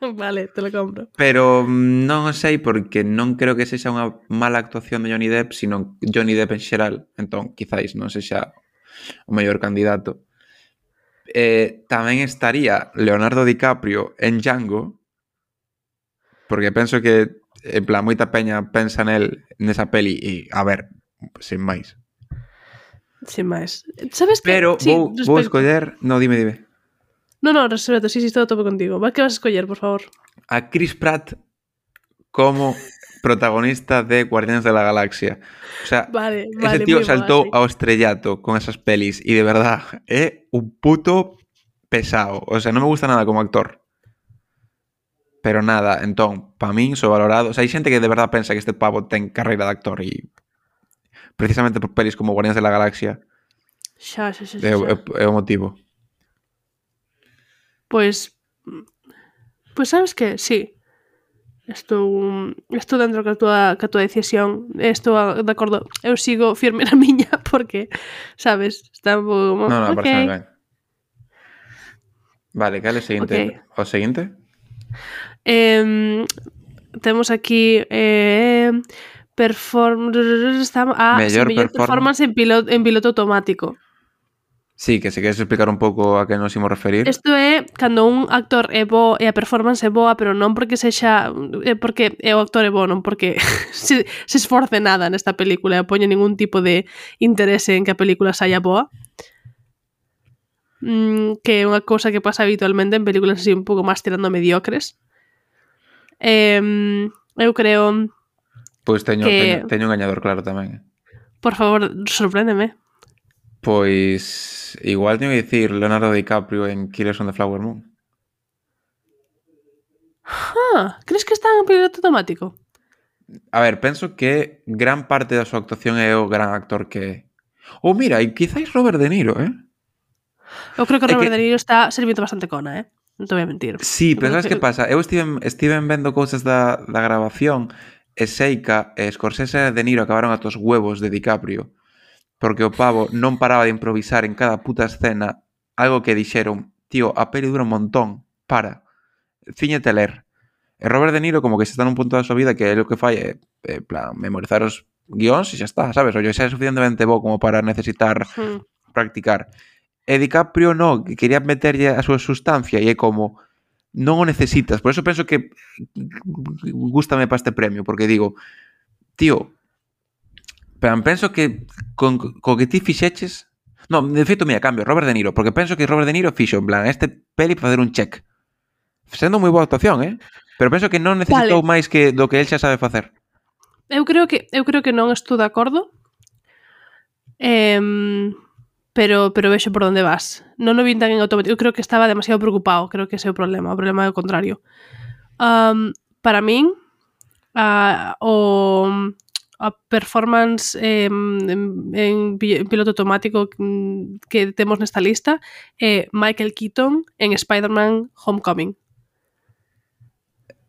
Vale, te lo compro. Pero non o sei porque non creo que sexa unha mala actuación de Johnny Depp, sino Johnny Depp en xeral. Entón, quizáis non sexa o mellor candidato. Tamén estaría Leonardo DiCaprio en Django, porque penso que en plan moita peña pensa nesa peli e, a ver, sin máis. Sin máis. Sabes que... Pero sí, vou escoller... No, dime. No, respeto, sí, estou a tope contigo. Que vas a escoller, por favor? A Chris Pratt como protagonista de Guardianes de la Galaxia. O sea, vale, ese tío saltou ao estrellato con esas pelis e de verdad é un puto pesado. O sea, non me gusta nada como actor. Pero nada, entón, pa min sobrevalorado. O sea, hai xente que de verdad pensa que este pavo ten carreira de actor e precisamente por pelis como Guardianes de la Galaxia xa. É o motivo. Pois sabes que, sí. Estou dentro ca tua decisión. Estou de acordo. Eu sigo firme na miña porque, sabes, está un pouco... No, parece ben. Vale, cal é o seguinte? Okay. O seguinte? Temos aquí mellor performance en piloto automático. Sí, que se queres explicar un pouco a que nos imos referir. Isto é cando un actor é bo e a performance é boa, pero non porque sexa porque o actor é bo, non porque se esforce nada nesta película e poñe ningún tipo de interese en que a película saia boa. Que é unha cousa que pasa habitualmente en películas así un pouco máis tirando mediocres. Eu creo... Pois teño un gañador claro tamén. Por favor, sorpréndeme. Pois igual teño que dicir Leonardo DiCaprio en Killers on the Flower Moon. Crees que está en piloto automático? A ver, penso que gran parte da súa actuación é o gran actor que é. Ou mira, e quizáis Robert De Niro, Eu creo que Robert De Niro está servindo bastante cona, non te voy a mentir. Sí, pero sabes que pasa? Eu estiven vendo cousas da grabación e Seika e Scorsese e De Niro acabaron ata os huevos de DiCaprio porque o pavo non paraba de improvisar en cada puta escena algo que dixeron, tío, a peli dura un montón, para, cíñete a ler. E Robert De Niro como que se está nun punto da súa vida que é o que fai é, plan, memorizar os guións e xa está, sabes? O xa é suficientemente bo como para necesitar practicar. E DiCaprio no, que quería meterlle a súa sustancia e é como non o necesitas. Por eso penso que gústame para este premio, porque digo, tío, penso que con que ti fixeches... No, de feito, mira, cambio, Robert De Niro, porque penso que Robert De Niro fixo, en plan, este peli para facer un check. Sendo moi boa actuación, pero penso que non necesitou máis que do que el xa sabe facer. Eu creo que non estou de acordo. Pero vexo por onde vas. Non o vin tan en automático. Eu creo que estaba demasiado preocupado. Creo que ese é o problema. O problema é o contrario. Para min, a performance en piloto automático que temos nesta lista é Michael Keaton en Spider-Man Homecoming.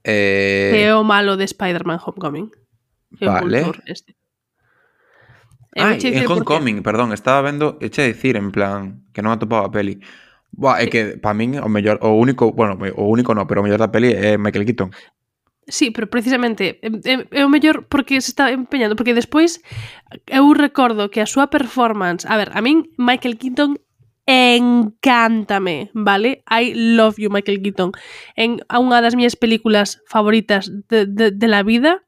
Que é o malo de Spider-Man Homecoming. Vale. En Homecoming, perdón, estaba vendo, eche dicir en plan que non atopaba a peli. Buah, é que para min o mellor, o único no, pero o mellor da peli é Michael Keaton. Sí, pero precisamente é o mellor porque se está empeñando, porque despois eu recordo que a súa performance, a ver, a min Michael Keaton encántame, vale? I love you, Michael Keaton. En unha das miñas películas favoritas de la vida,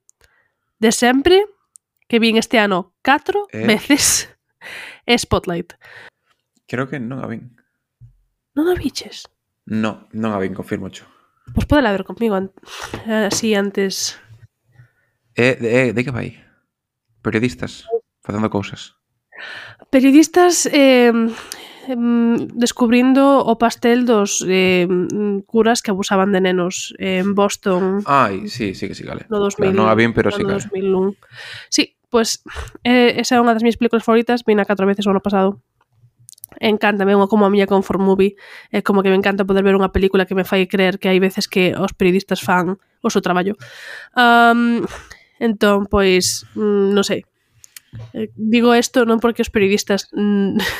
de sempre, que vin este ano 4 veces, é Spotlight. Creo que non a vin. Non a viches? No, non a vin, confirmo xo. Pois podela ver comigo así antes. De que vai? Periodistas facendo cousas. Periodistas descubrindo o pastel dos curas que abusaban de nenos en Boston. Ai, sí, vale. No 2000, non a vin, pero sí, no 2001. Sí, pues esa é unha das minhas películas favoritas, vina 4 veces o ano pasado. Encántame, unha como a miña comfort movie, é como que me encanta poder ver unha película que me fai creer que hai veces que os periodistas fan o seu traballo. Entón, pois, non sei. Digo isto non porque os periodistas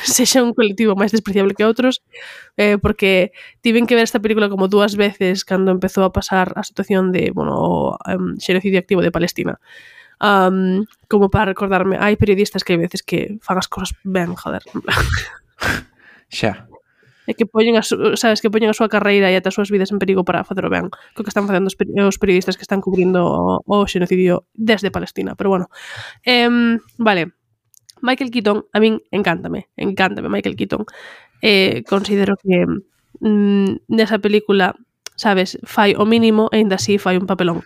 sexan un colectivo máis despreciable que outros, porque tiven que ver esta película como 2 veces cando empezou a pasar a situación de, o xenocidio activo de Palestina. Como para recordarme, hai periodistas que hai veces que fan as cosas ben, joder. Xa. E que poñen sabes, que poñen a súa carreira e ata as súas vidas en perigo para facer o ben, co que están facendo os periodistas que están cubrindo o xenocidio desde Palestina, pero bueno. Vale. Michael Keaton, a min encántame Michael Keaton. Considero que nesa película, sabes, fai o mínimo e ainda así fai un papelón.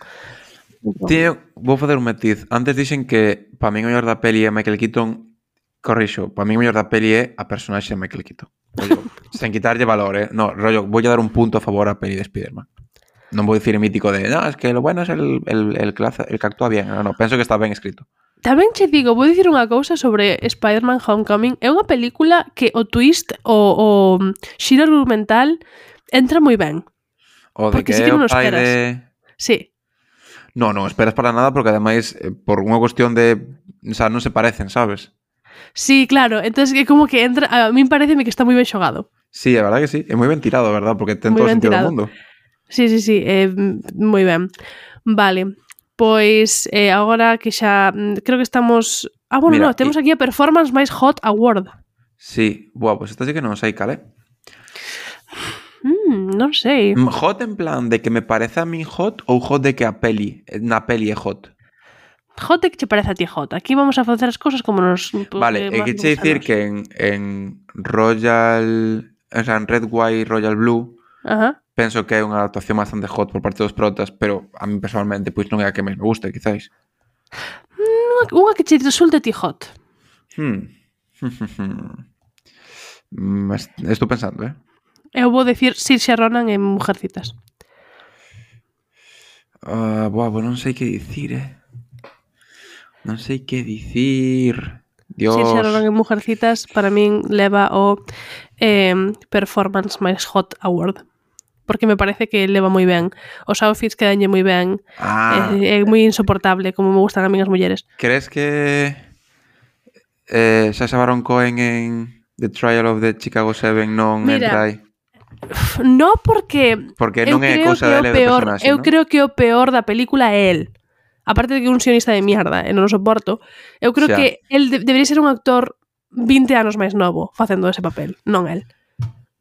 Tío, vou facer un matiz. Antes dixen que para min o mellor da peli é Michael Keaton. Corrixo, para mí o mellor da peli é a personaxe de Michael Keaton. Rollo, sen quitarlle valor, No, rollo, voy a dar un punto a favor a peli de Spider-Man. Non vou dicir mítico de, no, es que lo bueno es el que actúa bien. No, penso que está ben escrito. Tamén che digo, vou dicir unha cousa sobre Spider-Man Homecoming. É unha película que o twist, o xiro argumental entra moi ben. O de porque que sí que non o pai esperas. Sí. No esperas para nada porque ademais por unha cuestión de, o sea, non se parecen, sabes? Sí, claro, entonces é como que entra, a min pareceme que está moi ben xogado. Sí, a verdad que sí, é moi ben tirado, a verdad, porque ten todo o sentido do mundo. Sí, moi ben. Vale, pois agora que xa creo que estamos... Mira, temos aquí a Performance máis Hot Award. Sí, pois esta sí que non sei cal é. Non sei. Hot en plan de que me parece a min hot ou hot de que na peli é hot? Hot é que che parece a ti hot. Aquí vamos a facer as cosas como nos... Vale, é que che dicir que en Royal... O sea, en Red, White, Royal Blue penso que é unha actuación bastante hot por parte dos protas, pero a mí personalmente pois non é a que máis me gusta, quizáis. Unha que che resulte a ti hot. Estou pensando, Eu vou decir Saoirse Ronan en Mujercitas. Non sei que dicir, Non sei que dicir. Dios. Saoirse Ronan en Mujercitas para min leva o Performance máis Hot Award. porque me parece que leva moi ben. Os outfits quedanlle moi ben. É moi insoportable, como me gustan a mí as mulleres. Crees que Sacha Baron Cohen en The Trial of the Chicago 7 non entra aí? No, porque non é cousa dele de personaxe, eu creo que o peor da película é el. Aparte de que é un sionista de mierda e non o soporto, eu creo que el debería ser un actor 20 anos máis novo facendo ese papel, non el.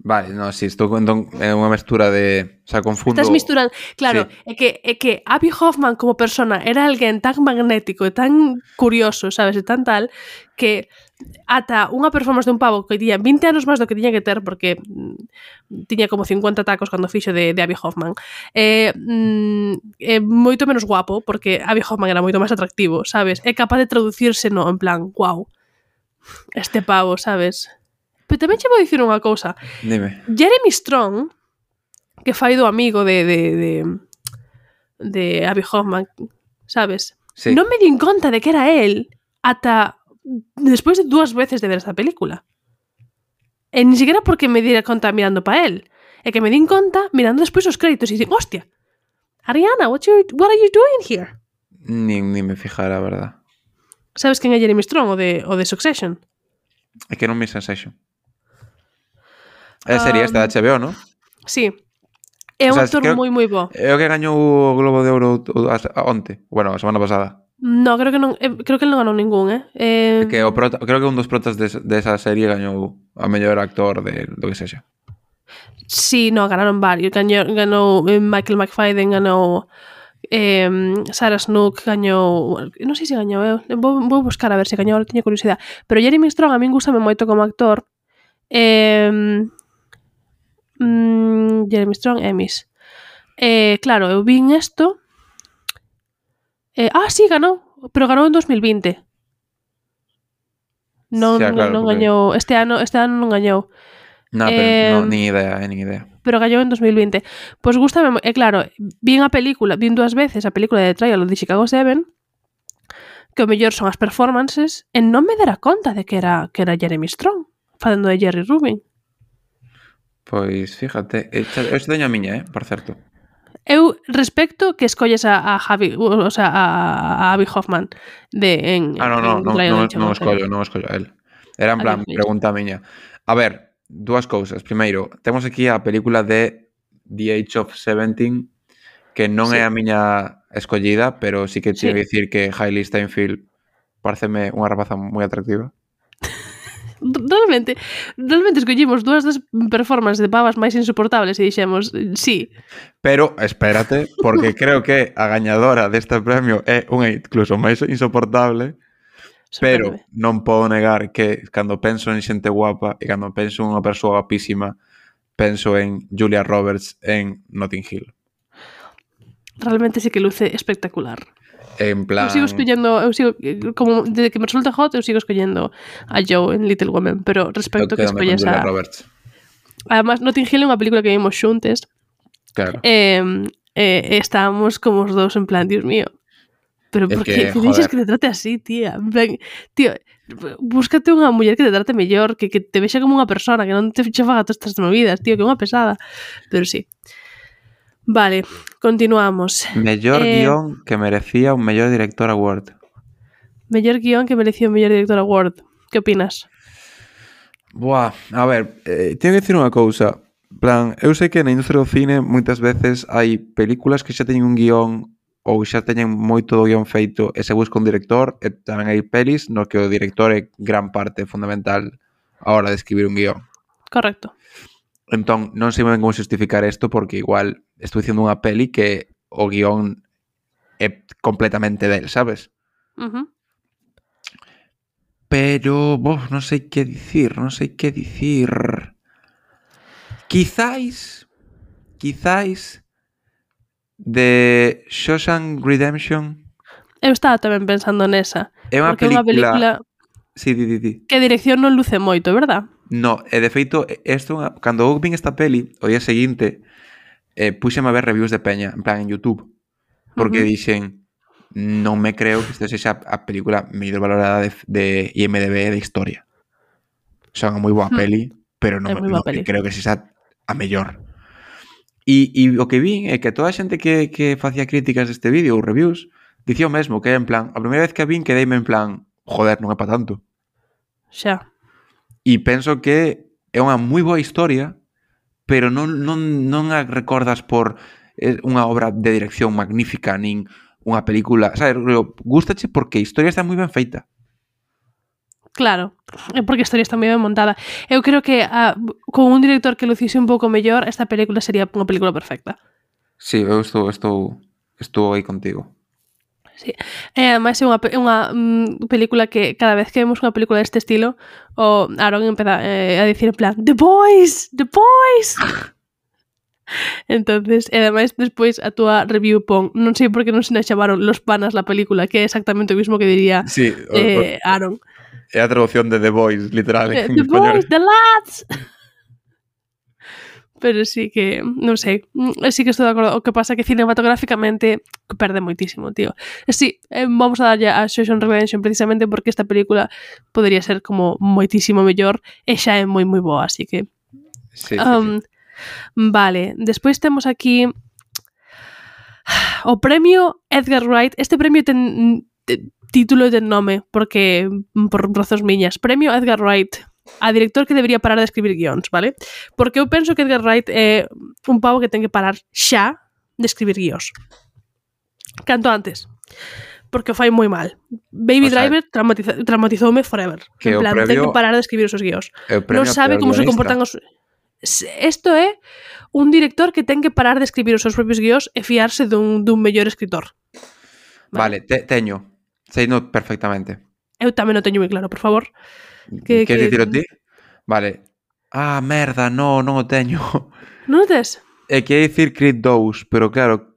Vale, no, si, estou é unha mestura de... O sea, confundo... Estás misturando... Claro, é que Abby Hoffman como persona era alguén tan magnético e tan curioso, sabes, e tan tal, que ata unha performance de un pavo que tiña 20 anos máis do que tiña que ter, porque tiña como 50 tacos cando fixo de Abby Hoffman, moito menos guapo, porque Abby Hoffman era moito máis atractivo, sabes? É capaz de traducirse no, en plan, wow, este pavo, sabes? Pero tamén che vou dicir unha cousa. Dime. Jeremy Strong, que fai do amigo de Abby Hoffman, sabes? Sí. Non me din conta de que era él ata despois de 2 veces de ver esta película. E ni siquiera porque me diera conta mirando pa él. É que me din conta mirando despois os créditos e dicen, hostia, Ariana, what are you doing here? Ni me fijara, a verdad. Sabes quen é Jeremy Strong, o de Succession? É que non me Succession. É serie esta de HBO, non? Sí. É un actor moi bo. É o que gañou o Globo de Ouro onte. Bueno, a semana pasada. No, creo que non. Creo que non ganou ningún, Que creo que un dos protas desa serie gañou a mellor actor do que sexa. Sí, no, ganaron varios. Ganou Michael McFadden, ganou Sarah Snook, gañou... Non sei se gañou, vou buscar a ver se gañou, teño curiosidade. Pero Jeremy Strong a min gustame moito como actor. Jeremy Strong, Emmys. Claro, eu vin esto. Sí, ganou, pero ganou en 2020. Non, claro, non gañou. Este ano non gañou. No, pero nin idea. Pero gañou en 2020. Pois gústame, claro, vin 2 veces a película de Trial of the Chicago 7, que o mellor son as performances, e non me dera conta de que era Jeremy Strong, facendo de Jerry Rubin. Pois, fíjate, eu teño a miña, por certo. Eu respecto que escolles a Abby Hoffman non escollo a él. Era en plan, pregunta a miña. A ver, 2 cousas. Primeiro, temos aquí a película de The Age of 17, que non é a miña escollida, pero sí que teño que dicir que Hailey Steinfeld pareceme unha rapaza moi atractiva. Realmente escollimos 2 das performances de pavas máis insoportables e dixemos, sí. Pero, espérate, porque creo que a gañadora deste premio é unha incluso máis insoportable, pero non podo negar que cando penso en xente guapa e cando penso en unha persoa guapísima, penso en Julia Roberts en Notting Hill. Realmente sí que luce espectacular. En plan... Eu sigo como desde que me resulta hot, eu sigo escollendo a Joe en Little Women, pero respecto que escolles a Roberts. Además, Notting Hill é unha película que vimos xuntes. Claro. Estábamos como os dous en plan, Dios mío, pero por que dices que te trate así, tía? En plan, tío, búscate unha muller que te trate mellor, que te vexa como unha persona, que non te faga todas estas movidas, tío, que é unha pesada. Pero sí. Vale, continuamos. Mellor guión que merecía un mellor director award. Mellor guión que merecía un mellor director award. Que opinas? Buah, a ver, teño que dicir unha cousa. Plan, eu sei que na industria do cine moitas veces hai películas que xa teñen un guión ou xa teñen moito do guión feito e se busca un director, e tamén hai pelis no que o director é gran parte fundamental a hora de escribir un guión. Correcto. Entón, non sei ben como justificar isto porque igual estou dicindo unha peli que o guión é completamente del, sabes? Pero, non sei que dicir. Quizáis de Shawshank Redemption. Eu estaba tamén pensando nesa. É unha película... Sí, di. Que a dirección non luce moito, verdad? No, e de feito, cando eu vin esta peli, o día seguinte, puxeme a ver reviews de peña, en plan en YouTube, porque dixen, non me creo que isto sexa a película mellor valorada de IMDb de historia. Xa unha moi boa peli, pero non creo que sexa a mellor. E o que vi é que toda a xente que facía críticas deste vídeo ou reviews dicía o mesmo, que é en plan, a primeira vez que a vin quedeime en plan, joder, non é para tanto. Xa. E penso que é unha moi boa historia, pero non a recordas por unha obra de dirección magnífica, nin unha película, sabes, gústache porque a historia está moi ben feita. Claro, é porque a historia está moi ben montada. Eu creo que con un director que lucise un pouco mellor, esta película sería unha película perfecta. Sí, eu estou aí contigo. Sí. Ademais é unha película que cada vez que vemos unha película deste estilo, o Aaron empeza a dicir en plan The Boys! The Boys! Entonces, ademais, despois a túa review pon, non sei por que non se nos chamaron Los Panas la película, que é exactamente o mismo que diría Sí, Aaron. É a traducción de The Boys, literal, en The español. Boys, The Lads! Pero sí que, non sei, sí que estou de acordo. O que pasa que cinematográficamente perde moitísimo, tío. Sí, vamos a darlle a Shawshank Redemption precisamente porque esta película podría ser como moitísimo mellor e xa é moi moi boa, así que... Sí. Vale, despois temos aquí o premio Edgar Wright. Este premio ten título e ten nome, porque por razóns miñas. Premio Edgar Wright a director que debería parar de escribir guións, vale? Porque eu penso que Edgar Wright é un pavo que ten que parar xa de escribir guións. Canto antes. Porque o fai moi mal. Baby Driver traumatizoume forever. Que en plan, premio, ten que parar de escribir os seus guións. Non sabe como se comportan os... Isto é un director que ten que parar de escribir os seus propios guións e fiarse dun mellor escritor. Vale, teño. Seino perfectamente. Eu tamén o teño moi claro, por favor. Queres dicir o ti? Vale. Ah, merda, non o teño. Non o tes? Quería dicir Creed 2, pero claro,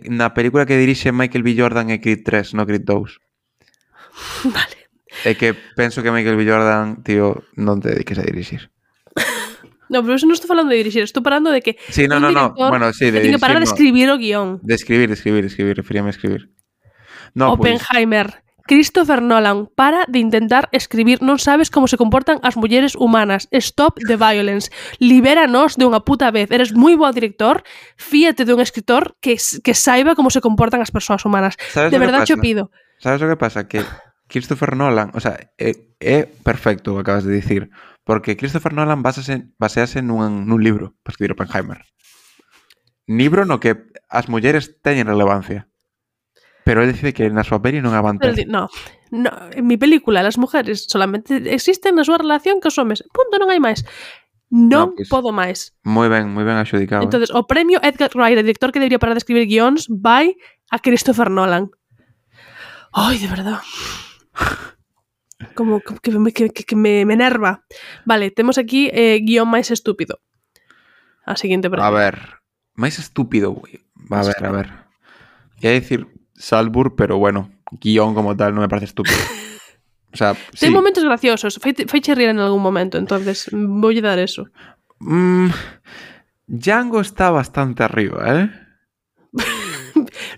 na película que dirixe Michael B. Jordan é Creed 3, non Creed 2. Vale. É que penso que Michael B. Jordan, tío, non te dediques a dirixir. No, pero eso non estou falando de dirixir, estou falando de que sí, no. Bueno, sí, de dirixir, que parar de escribir o guión. De escribir, referíame a escribir. No, Oppenheimer, pues... Christopher Nolan, para de intentar escribir, non sabes como se comportan as mulleres humanas. Stop the violence. Libéranos de unha puta vez. Eres moi bo director, fíate de un escritor que saiba como se comportan as persoas humanas. De verdade xo pido. Sabes o que pasa? Que Christopher Nolan, o sea, é perfecto o que acabas de dicir, porque Christopher Nolan basease nun libro para escribir Oppenheimer. Libro no que as mulleres teñen relevancia. Pero él dice que na súa peli non avanza. No, en mi película las mujeres solamente existen na súa relación cos homes. Punto, non hai máis. Non pues, podo máis. Moi ben axudicado. Entonces, o premio Edgar Wright, o director que debería parar de escribir guións, vai a Christopher Nolan. Ai, de verdad. Como que me enerva. Vale, temos aquí guión máis estúpido. A seguinte pregunta. A ver, máis estúpido, güey. A ver. Ia dicir Salzburg, pero bueno, guión como tal non me parece estúpido. O sea, ten momentos graciosos, feiche rir en algún momento, entonces voulle dar eso. Django está bastante arriba,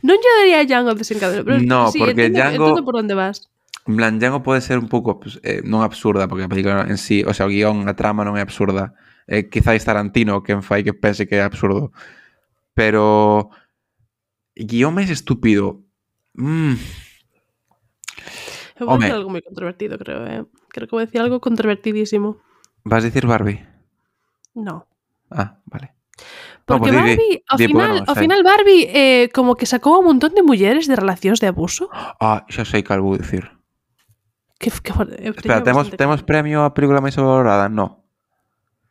Non lle daría a Django desencadenado, pero no, sí, porque entendo por onde vas. En plan, Django pode ser un pouco non absurda, porque a película en sí, o sea, o guión, a trama non é absurda. Quizáis Tarantino quen fai que pense que é absurdo. Pero guión máis estúpido. Eu vou decir algo moi controvertido, creo. Creo que vou decir algo controvertidísimo. Vas dicir Barbie? No. Ah, vale. Porque no, pues Barbie, ao final Barbie como que sacou un montón de mulleres de relacións de abuso. Ah, xa sei cal vou dicir. Espera, temos premio a película máis valorada? No.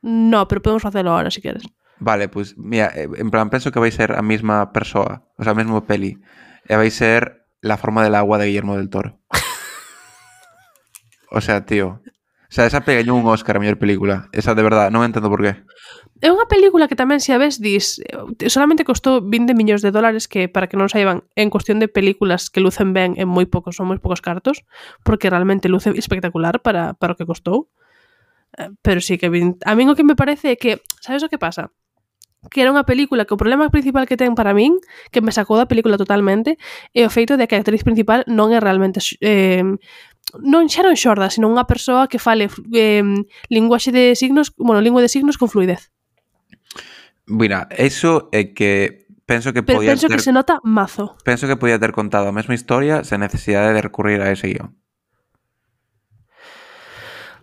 No, pero podemos facelo ahora, si queres. Vale, pues mira, en plan, penso que vai ser a mesma persoa, o sea, a mesma peli. E vai ser La forma del agua de Guillermo del Toro. O sea, tío. O sea, esa pegañou un Oscar a mellor película. Esa, de verdad, non entendo por qué. É unha película que tamén, se a ves, dis solamente costou 20 millóns de dólares, que, para que non saiban, en cuestión de películas que lucen ben en moi poucos, son moi poucos cartos, porque realmente luce espectacular para o que costou. Pero sí que a min o que me parece é que, sabes o que pasa? Que era unha película que o problema principal que ten para min, que me sacou da película totalmente, é o feito de que a actriz principal non é realmente non xorda, sino unha persoa que fale linguaxe de signos, lingua de signos con fluidez. Mira, eso é que penso que Pero podía penso que se nota mazo. Penso que podía ter contado a mesma historia sen necesidade de recurrir a ese guión.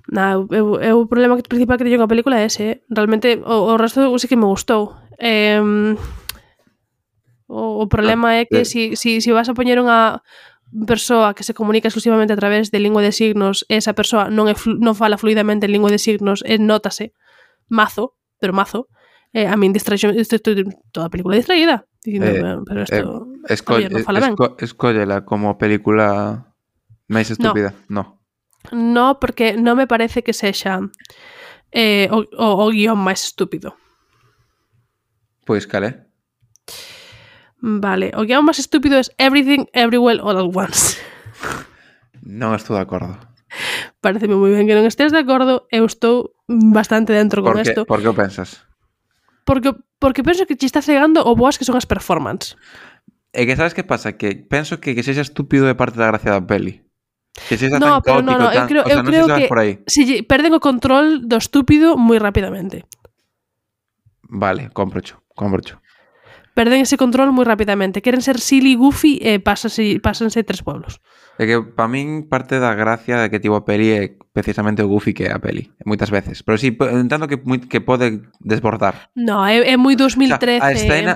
O problema principal que teño con a película é ese. Realmente o resto sí que me gustou. O problema é que si vas a poñer unha persoa que se comunica exclusivamente a través de lingua de signos, esa persoa non fala fluidamente en lingua de signos, nótase mazo, pero mazo. A min distraxo, estou toda a película distraída dicindo, pero isto non fala ben. Escóllela como película máis estúpida. No, porque non me parece que sexa o guión máis estúpido. Pois cal é? Vale, o guión máis estúpido é Everything, Everywhere, All at Once. Non estou de acordo. Pareceme moi ben que non estés de acordo. Eu estou bastante dentro con isto. Por que o pensas? Porque penso que te está cegando o boas que son as performances. É que sabes que pasa? Que penso que sexa estúpido é parte da gracia da peli. Que sexa tan caótico, eu creo que por aí. Si perden o control do estúpido moi rapidamente. Vale, cómprocho. Perden ese control moi rapidamente. Queren ser silly, goofy e pásanse 3 pueblos. É que para min parte da gracia de que tivo a peli é precisamente o goofy que é a peli, moitas veces. Pero si, entendo que pode desbordar. No, é moi 2013, a escena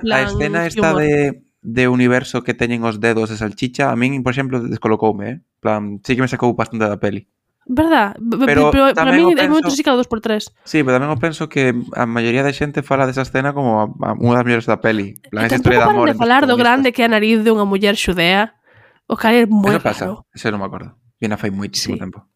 esta humor. de universo que teñen os dedos de salchicha, a min, por exemplo, descolocoume, plan, sí que me sacou bastante da peli. Verdad? Pero para mí é moi sí cada 2x3. Sí, pero tamén eu penso que a maioría da xente fala desa escena como unha das mellores da peli. Plan, esa historia de amor. De falar do grande que é a nariz de unha muller xudea. O cara é moi raro. Eso non me acordo. Viena fai moitísimo tempo.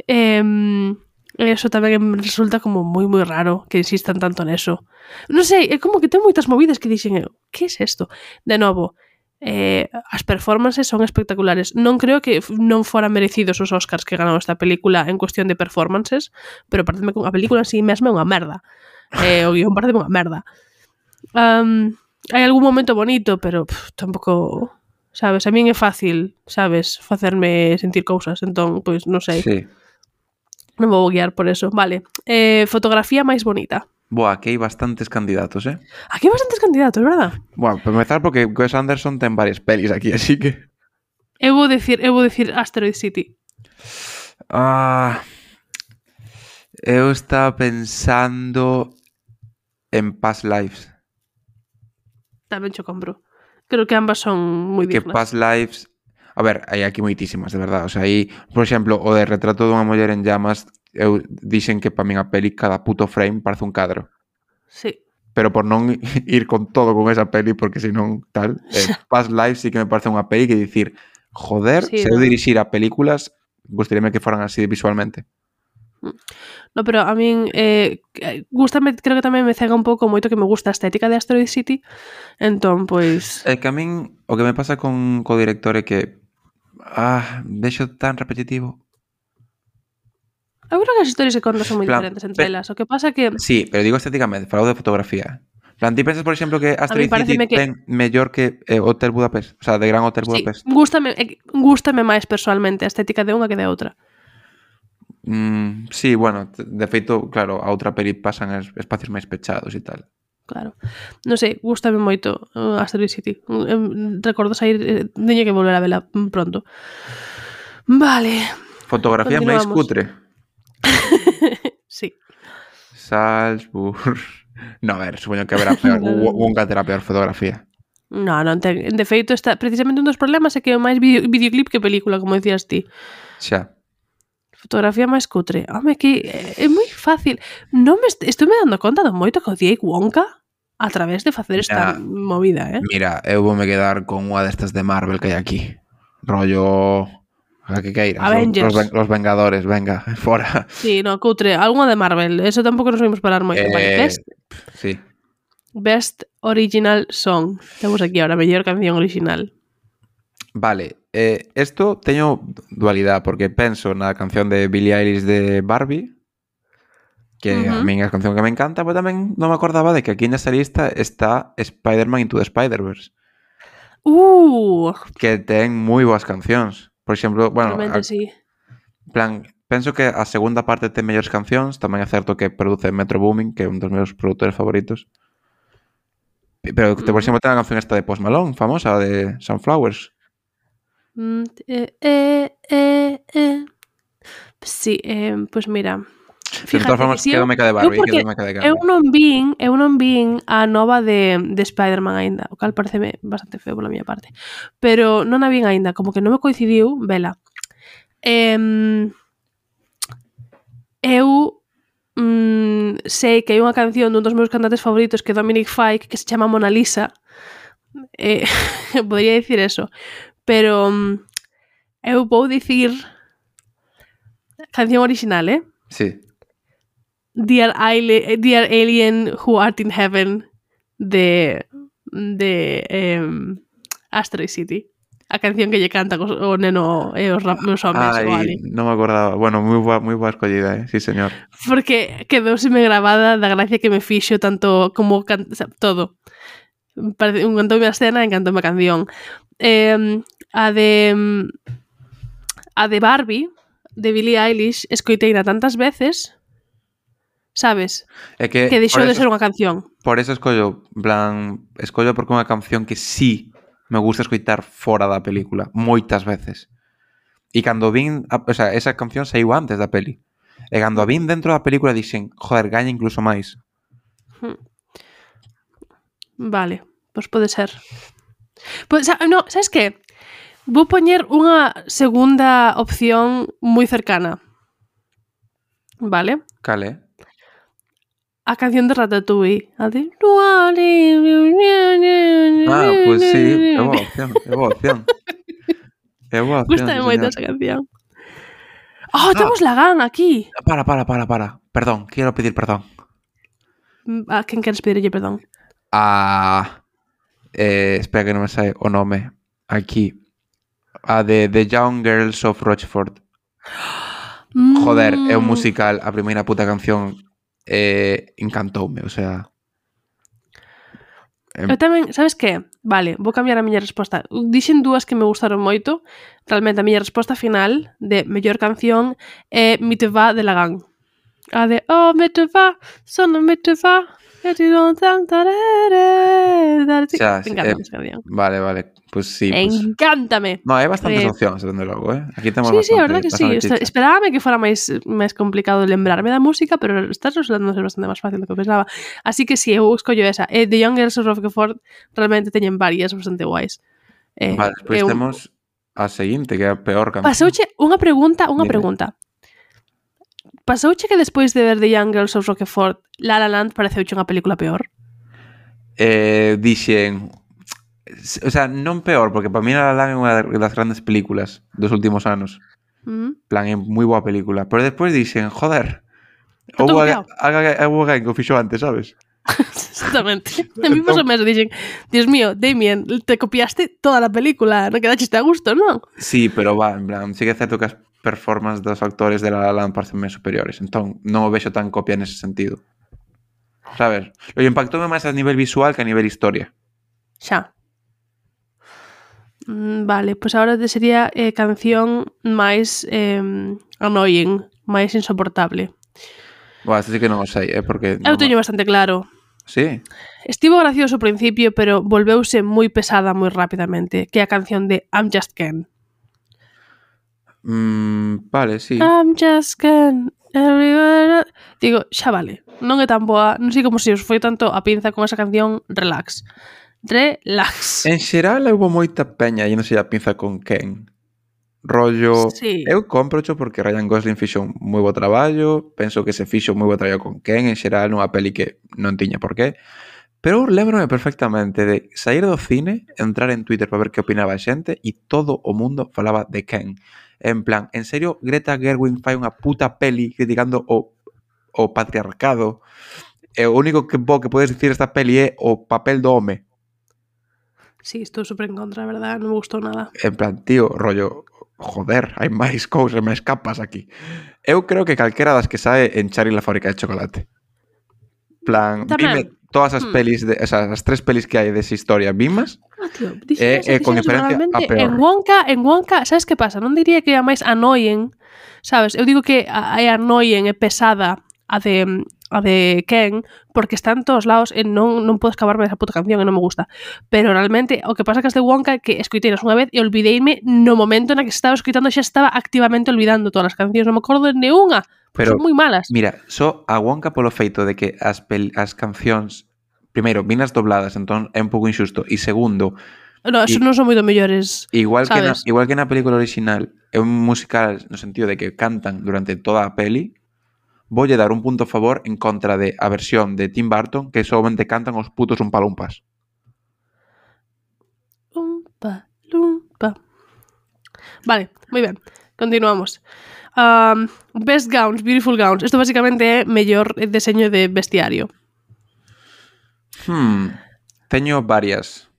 Eso tamén me resulta como moi moi raro que insistan tanto neso. Non sei, é como que ten moitas movidas que dixen eu, que é isto? De novo, as performances son espectaculares. Non creo que non foran merecidos os Oscars que ganou esta película en cuestión de performances, pero pareceme que a película en sí mesma é unha merda. O guión parece unha merda. Hai algún momento bonito, pero tampouco, sabes, a min é fácil, sabes, facerme sentir cousas, entón, pois, non sei. Sí. Non vou guiar por eso. Vale, fotografía máis bonita. Boa, aquí hai bastantes candidatos, Aquí hai bastantes candidatos, verdad? Bueno, para empezar, porque Wes Anderson ten varias pelis aquí, así que... Eu vou dicir Asteroid City. Eu estaba pensando en Past Lives. Tamén cho compro. Creo que ambas son moi dignas. Que Past Lives... A ver, hai aquí moitísimas, de verdad. O sea, aí, por exemplo, o de Retrato dunha muller en llamas, eu dixen que para min a peli cada puto frame parece un cadro. Sí. Pero por non ir con todo con esa peli, porque senón tal, Past Lives sí que me parece unha peli que dicir, joder, sí, se eu dirixira películas, gustaríame que foran así visualmente. No, pero a min gústame, creo que tamén me cega un pouco moito que me gusta a estética de Asteroid City. Entón, pois... É que a min o que me pasa co director é que deixo tan repetitivo. Eu creo que as historias que contas son moi diferentes entre elas. O que pasa que... Sí, pero digo estéticamente, falo de fotografía. Plan, ti pensas, por exemplo, que Asteroid City ten mellor que Hotel Budapest? O sea, de Gran Hotel Budapest. Sí, gústame máis personalmente a estética de unha que de outra. Sí, bueno, de feito, claro, a outra peli pasan espacios máis pechados e tal. Claro. Non sei, gústame moito Asteroid City. Recordo sair, teño que volver a vela pronto. Vale. Fotografía máis cutre. Sí. Salzburg. No, a ver, supoño que haberá peor. Nunca terá peor fotografía. Non ten. De feito, está precisamente un dos problemas é que é máis videoclip que película, como decías ti. Xa. Fotografía máis cutre. Home, que é moi fácil. Non me estou me dando conta do moito que odiei Wonka a través de facer esta movida, Mira, eu vou me quedar con unha destas de Marvel que hai aquí. Rollo... A que queiras. Los Vengadores, venga, fora. Sí, no, cutre. Alguna de Marvel. Eso tampouco nos vimos parar moito. Vale, sí. Best Original Song. Temos aquí ahora, mellor canción original. Vale, esto teño dualidade, porque penso na canción de Billie Eilish de Barbie, que a min é a canción que me encanta, pero tamén non me acordaba de que aquí nesta lista está Spider-Man Into the Spider-Verse. Que ten moi boas cancións. Por exemplo, bueno, sí. Plan, penso que a segunda parte ten mellores cancións, tamén é certo que produce Metro Boomin, que é un dos meus produtores favoritos. Pero por exemplo ten a canción esta de Post Malone, famosa, de Sunflowers. Sí, pues mira. De todas formas, quedo meca de Barbie, quedo meca de Barbie. Eu non vin a nova de Spider-Man aínda, o cal pareceme bastante feo pola miña parte. Pero non a vin aínda, como que non me coincidiu vela. Eu sei que hai unha canción dun dos meus cantantes favoritos que é Dominic Fike que se chama Mona Lisa. Podría dicir eso. Pero eu vou dicir canción original, Sí. Dear Alien Who Art in Heaven de Asteroid City. A canción que lle canta o neno e os meus homes. Ai, non me acordaba. Bueno, moi boa escollida, sí, señor. Porque quedouseme grabada da gracia que me fixo tanto como todo. Encantoume a escena, encantoume a canción. A de Barbie, de Billie Eilish, escoiteina tantas veces, sabes? Que deixou de ser unha canción. Por eso escollo porque é unha canción que sí me gusta escoitar fora da película, moitas veces. E cando vin, esa canción saiu antes da peli. E cando a vin dentro da película dixen, joder, gaña incluso máis. Vale, pois pode ser. Pues, no, sabes que? Vou poñer unha segunda opción moi cercana. Vale? Cale? A canción de Ratatouille. A de... pues sí, é boa opción. Gústame moito esa canción. Oh, temos Lagan aquí. Para. Perdón, quiero pedir perdón. A quen queres pedirlle perdón? Espera que non me sae o nome. Aquí. A de The Young Girls of Rochford. Joder, é un musical. A primeira puta canción encantoume, o sea... Eu tamén, sabes que? Vale, vou cambiar a miña resposta. Dixen dúas que me gustaron moito. Realmente a miña resposta final de mellor canción é Me te va de Lagan. A de me te va, solo me te va. Encántame esa canción. Vale, pues sí. Encántame. No, hai bastantes opcións, dende logo, Aquí temos sí, a verdad que sí. Esperábame que fora máis complicado lembrarme da música, pero estás resultando ser bastante máis fácil do que pensaba. Así que sí, eu escollo esa. The Young Girls of Rochford realmente teñen varias bastante guais. Vale, despois temos a seguinte, que é a peor canción. Pasouche unha pregunta. Pasouche que despois de ver The Young Girls of Rochford, La La Land pareceuche unha película peor? Dixen... O sea, non peor, porque para mí La La Land é unha das grandes películas dos últimos anos. Plan, é moi boa película. Pero despois dixen, joder, houve alguén que o fixo antes, sabes? Exactamente. A mí pasou mesmo, dixen, Dios mío, Damien, te copiaste toda a película, non quedaste a gusto, non? Sí, pero en plan, sí que é certo que as performances dos actores de La La Land parecenme superiores, entón non o vexo tan copia nese sentido. Sabes? Lo impactoume máis a nivel visual que a nivel historia. Xa. Vale, pois agora te sería canción máis annoying, máis insoportable. Este sí que non o sei, porque... Eu teño bastante claro. Sí? Estivo gracioso ao principio, pero volveuse moi pesada moi rapidamente, que é a canción de I'm Just Ken. Vale, sí. I'm just Ken. Everywhere. Digo, xa vale. Non é tan boa. Non sei como se os foi tanto a pinza con esa canción. Relax. En xeral, houve moita peña e non sei a pinza con Ken. Rollo... Sí. Eu comprocho porque Ryan Gosling fixo un moi bo traballo. Penso que se fixo moi bo traballo con Ken. En xeral, nunha peli que non tiña por qué. Pero lembrome perfectamente de sair do cine, entrar en Twitter para ver que opinaba a xente e todo o mundo falaba de Ken. En plan, en serio, Greta Gerwig fai unha puta peli criticando o patriarcado. E o único que podes dicir esta peli é o papel do home. Sí, estou super en contra, verdad, non me gustou nada. En plan, tío, rollo, joder, hai máis cousas, máis capas aquí. Eu creo que calquera das que sae en Charlie la fábrica de chocolate. Plan, dime todas as pelis, as tres pelis que hai desa historia, vimas? Tío, con diferencia a peor. En Wonka, sabes que pasa? Non diría que é a máis annoying, sabes? Eu digo que é annoying, é pesada a de Ken, porque está en todos lados e non podo escaparme desa puta canción e non me gusta. Pero realmente, o que pasa que as de Wonka que escoiteinas unha vez e olvideime no momento na que estaba escoitando, xa estaba activamente olvidando todas as cancións, non me acordo de neunha. Pero, son moi malas. Mira, só a Wonka polo feito de que as cancións, primeiro, vinas dobladas, entón é un pouco injusto, e segundo, No, eso non son moito mellores, igual sabes? que na película original é un musical no sentido de que cantan durante toda a peli, voulle dar un punto a favor en contra de a versión de Tim Burton que solamente cantan os putos umpalumpas. Umpa, lumpa. Vale, moi ben. Continuamos. Best Gowns, Beautiful Gowns. Isto basicamente é mellor deseño de vestiario. Teño varias.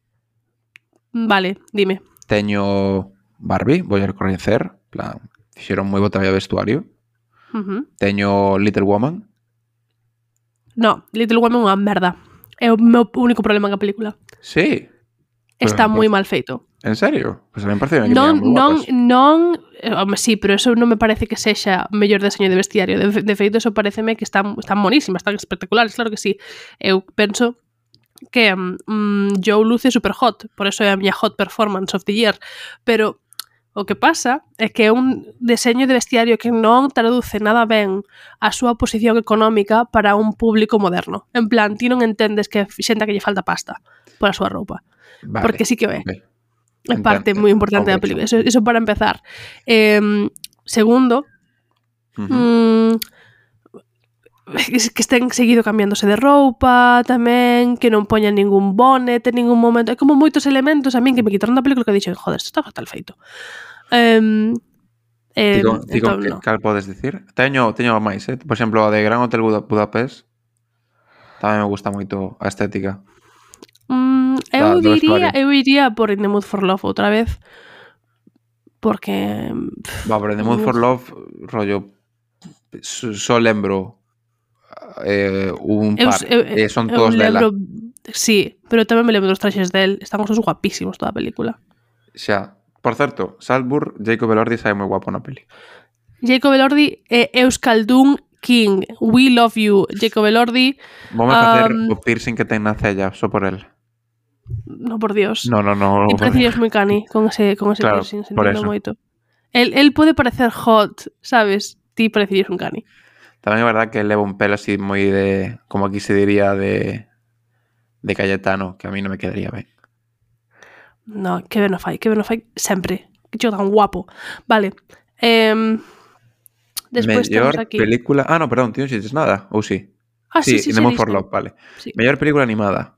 Vale, dime. Teño Barbie, vou a recoñecer, plan, fixeron moi bo traballo de vestuario. Teño Little Woman. No, Little Woman é unha merda. É o meu único problema con a película. Sí. Está moi mal feito. En serio? Pois a mí me parece que non, moi non, home, sí, pero eso non me parece que sexa mellor deseño de vestiario. De feito, eso pareceme que están monísimas, están espectaculares, claro que sí. Eu penso que Joe luce super hot, por eso é a miña hot performance of the year, pero o que pasa é que é un deseño de vestiario que non traduce nada ben a súa posición económica para un público moderno. En plan, ti non entendes que xente que lle falta pasta por a súa roupa. Vale, porque sí que é. Okay. É parte moi importante da película. Eso para empezar. Segundo, que estén seguido cambiándose de roupa tamén, que non poñan ningún bonnet en ningún momento. É como moitos elementos a min que me quitaron da película que dixen, joder, isto está fatal feito. Digo, cal podes dicir? Teño máis, por exemplo, a de Gran Hotel Budapest tamén me gusta moito a estética. Eu iría por In the Mood for Love outra vez, porque pero In the Mood for Love rollo só lembro un par son todos dela. Sí, pero tamén me lembro dos traxes del. Están os dos guapísimos toda a película. Xa, por certo, Salzburg, Jacob Elordi sae moi guapo na peli. Jacob Elordi é Euskaldun King. We love you, Jacob Elordi. Vamos a facer o piercing que ten na cella, só por el. No, por Dios. No. E parecías moi cani con ese claro, piercing, sentindo moito. El pode parecer hot, sabes? Ti parecías un cani. Tamén é verdad que leva un pelo así moi de, como aquí se diría, de Cayetano, que a mí non me quedaría ben. No, que ben o fai sempre. Que chico tan guapo. Vale. Despois mellor temos aquí película... no, perdón, ti non dices nada, ou sí? Sí, In the Mood for Love, vale. Sí. Mellor película animada.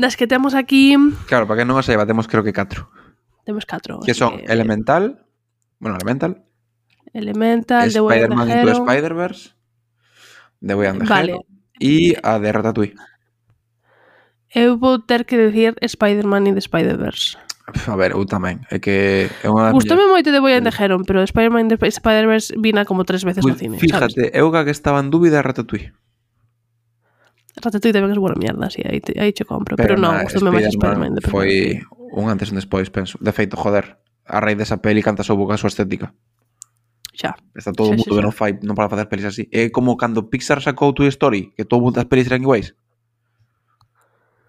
Das que temos aquí... Claro, para que non o saiba, temos creo que 4. Temos 4. Que son Elemental, The Way and the Spider-Man Hero, Into Spider-Verse, The Way and the vale. Hero, e a de Ratatouille. Eu vou ter que decir Spider-Man in the Spider-Verse. A ver, eu tamén. É que é unha das Gustoume moito The Way and the Hero, pero Spider-Man in the Spider-Verse vina como 3 veces no cine. Fíjate, sabes? eu que estaba en dúbida Ratatouille. Ratatouille tamén é boa mierda, sí, aí che compro. Pero non, gustoume máis Spider-Man in the Foi un antes e un despois, penso. De feito, joder, a raíz desa peli canta só boca a súa estética. Xa. Está todo o mundo que non para facer pelis así. É como cando Pixar sacou Toy Story, que todo o mundo das pelis eran iguais.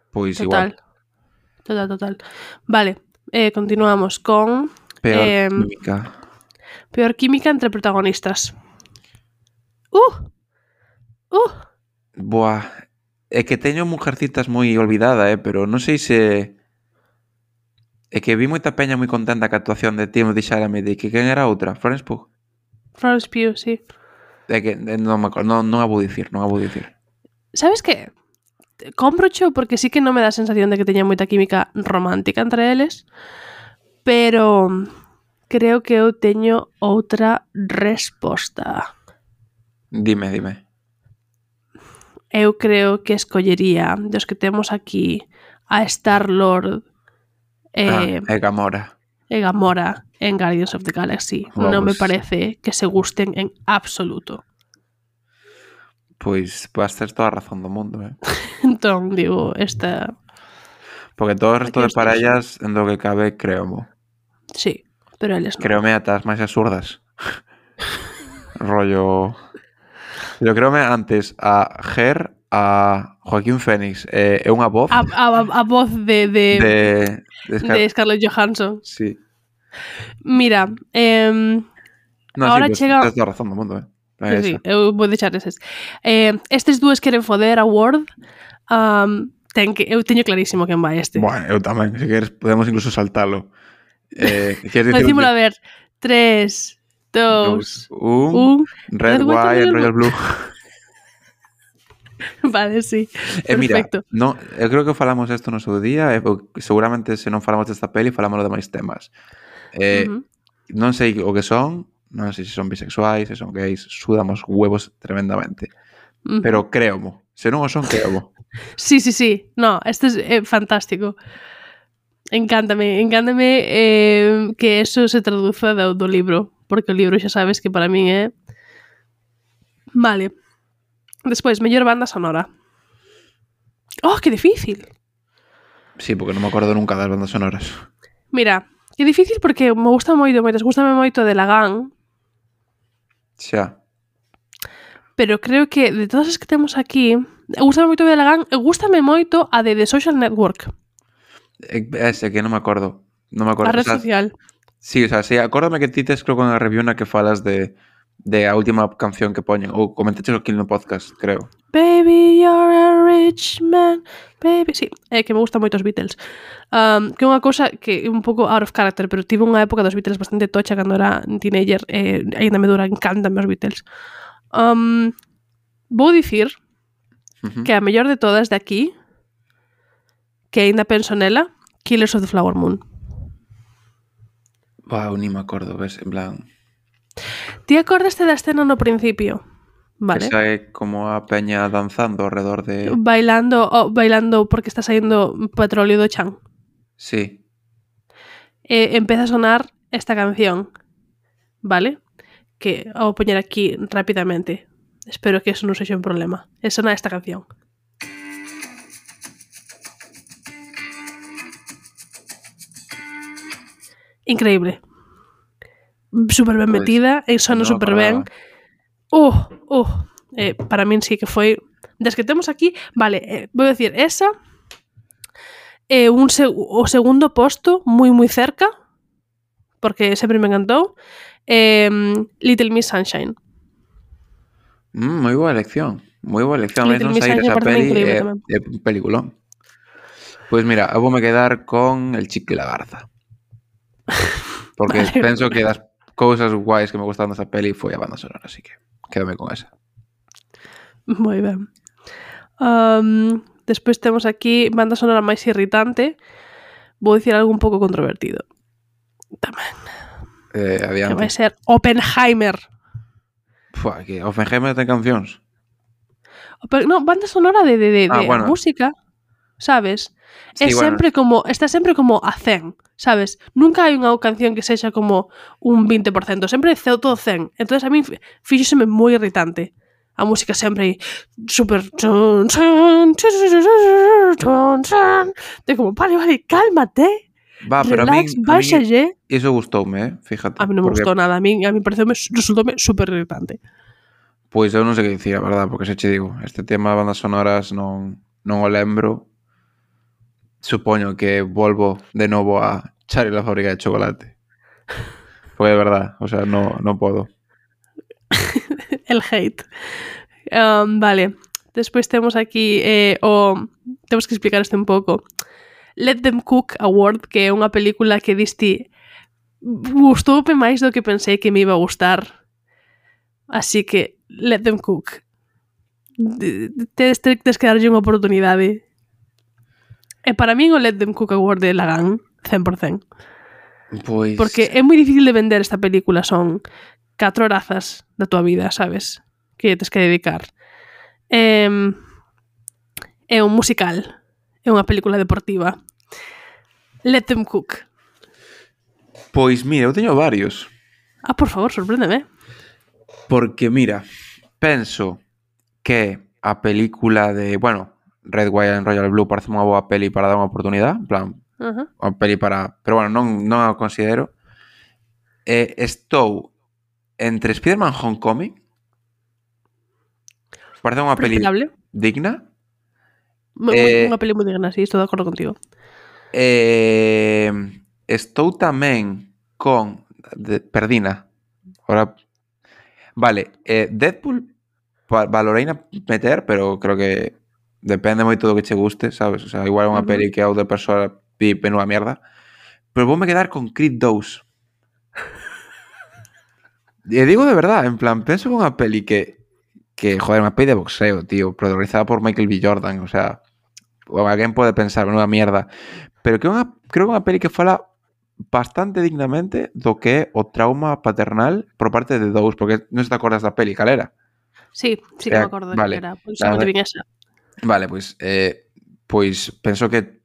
Pois igual. Total. Vale, continuamos con... Peor química. Peor química entre protagonistas. Boa. É que teño Mujercitas moi olvidada, pero non sei se... É que vi moita peña moi contenta ca actuación de Timothy Chalamet e que quen era outra? Florence Pugh? Florence Pugh, sí. É que non me acordo, non a vou dicir. Sabes que? Comprocho porque sí que non me dá a sensación de que teña moita química romántica entre eles, pero creo que eu teño outra resposta. Dime. Eu creo que escollería dos que temos aquí a Star-Lord e Gamora en Guardians of the Galaxy. Vamos. Non me parece que se gusten en absoluto. Pois vas ter toda a razón do mundo, Entón, digo, esta... Porque todo o resto de parellas en do que cabe, creomo. Sí, pero eles non. Creome ata as máis absurdas. Rollo... Pero créome antes a Ger, a Joaquín Phoenix é unha voz A voz de Scarlett Johansson. Sí. Mira, No, ahora sí, chega... tens toda a razón do mundo, Sí, eu vou deixar eses. Estes dúas queren foder a Word. Eu teño clarísimo quen vai este. Bueno, eu tamén, se queres podemos incluso saltalo. Queres dicir Decímolo a ver. 3, 2, 1. Red, White and Royal Blue. Vale, sí. Perfecto. Perfecto. No, eu creo que falamos isto no seu día, seguramente se non falamos desta peli, falamos de máis temas. Non sei o que son, non sei se son bisexuais, se son gays, sudamos huevos tremendamente. Pero creomo. Se non o son, creomo. Sí. No, este é fantástico. Encántame que eso se traduza do libro, porque o libro xa sabes que para min é... Vale. Despois, mellor banda sonora. Oh, que difícil. Sí, porque non me acordo nunca das bandas sonoras. Mira, que difícil porque me gusta moito, gústame moito de Lagan. Xa. Pero creo que de todas as que temos aquí, gústame moito de Lagan e gústame moito a de The Social Network. Ese que non me acordo. Non me acordo. A red social. Sí, o sea, sí, acórdame que ti tes creo con a review na que falas de a última canción que poñen, ou comentaches aquí no podcast, creo. Baby, you're a rich man, baby. Sí, que me gustan moito os Beatles. Que é unha cousa que é un pouco out of character, pero tive unha época dos Beatles bastante tocha cando era teenager, ainda me dura, encantan os Beatles. Vou dicir que a mellor de todas de aquí, que ainda penso nela, Killers of the Flower Moon. Wow, ni me acordo, ves, en plan... Ti acordaste da escena no principio? Vale. Que sae como a peña danzando alrededor de... Bailando porque está saindo petróleo do chan. Sí. Empeza a sonar esta canción, vale? Que vou poñer aquí rapidamente. Espero que eso non sexa un problema. Sona esta canción. Increíble. Super ben metida, sona super ben. Para min sí que foi das que temos aquí, vale, vou dicir esa o segundo posto moi cerca porque sempre me encantou, Little Miss Sunshine. Moi boa elección. Little Non Miss sair Sunshine esa parece peli increíble é tamén. un peliculón. Pois mira, eu voume quedar con El Chico y la Garza. Porque Vale. penso que das cousas guais que me gustaron desa peli foi a banda sonora, así que quédame con esa. Moi ben. Despois temos aquí banda sonora máis irritante. Vou dicir algo un pouco controvertido. Tamén. Adiante. Que vai ser Oppenheimer. Fua, que Oppenheimer ten cancións. No, banda sonora de bueno. música, sabes? Sí, sempre como, está sempre como a 100, sabes? Nunca hai unha canción que sexa como un 20%, sempre é todo 100. Entonces a mí fíxoseme moi irritante. A música sempre aí super de como, vale, cálmate. Va, pero relax, a min báixalle. iso gustoume, fíjate. A mí non me gustou nada, a mí resultoume super irritante. Pois eu non sei que dicir, a verdad, porque se che digo, este tema de bandas sonoras non o lembro. Supoño que volvo de novo a Charlie la fábrica de chocolate. Porque de verdad, o sea, non podo. El hate. Vale, despois temos aquí temos que explicar isto un pouco. Let Them Cook Award, que é unha película que diste gustoume máis do que pensei que me iba a gustar. Así que Let Them Cook. Tedes que darlle unha oportunidade. E para min o Let Them Cook Award de Lagan 100%. Pois... Porque é moi difícil de vender esta película, son 4 horazas da tua vida, sabes? Que tes que dedicar. É un musical, é unha película deportiva. Let Them Cook. Pois mira, eu teño varios. Por favor, sorpréndeme. Porque mira, penso que a película de, bueno, Red, White and Royal Blue parece unha boa peli para dar unha oportunidade, en plan, unha peli para... Pero bueno, non a considero. Estou entre Spider-Man Homecoming Parece unha peli Respetable. digna. Unha peli moi digna, sí, estou de acordo contigo. Estou tamén con... Perdina. Ahora... Vale, Deadpool valoreina meter, pero creo que depende moito do que che guste, sabes? O sea, igual é unha peli que a outra persoa pi penúa mierda. Pero voume quedar con Creed 2. E digo de verdad, en plan, penso que unha peli que joder, unha peli de boxeo, tío, protagonizada por Michael B. Jordan, o sea, alguén pode pensar, menuda mierda, pero que creo que unha peli que fala bastante dignamente do que é o trauma paternal por parte de dous, porque non se te acordas da peli, cal era? Sí, sí que me acordo vale, que era. Pois solamente vin esa. Vale, pois penso que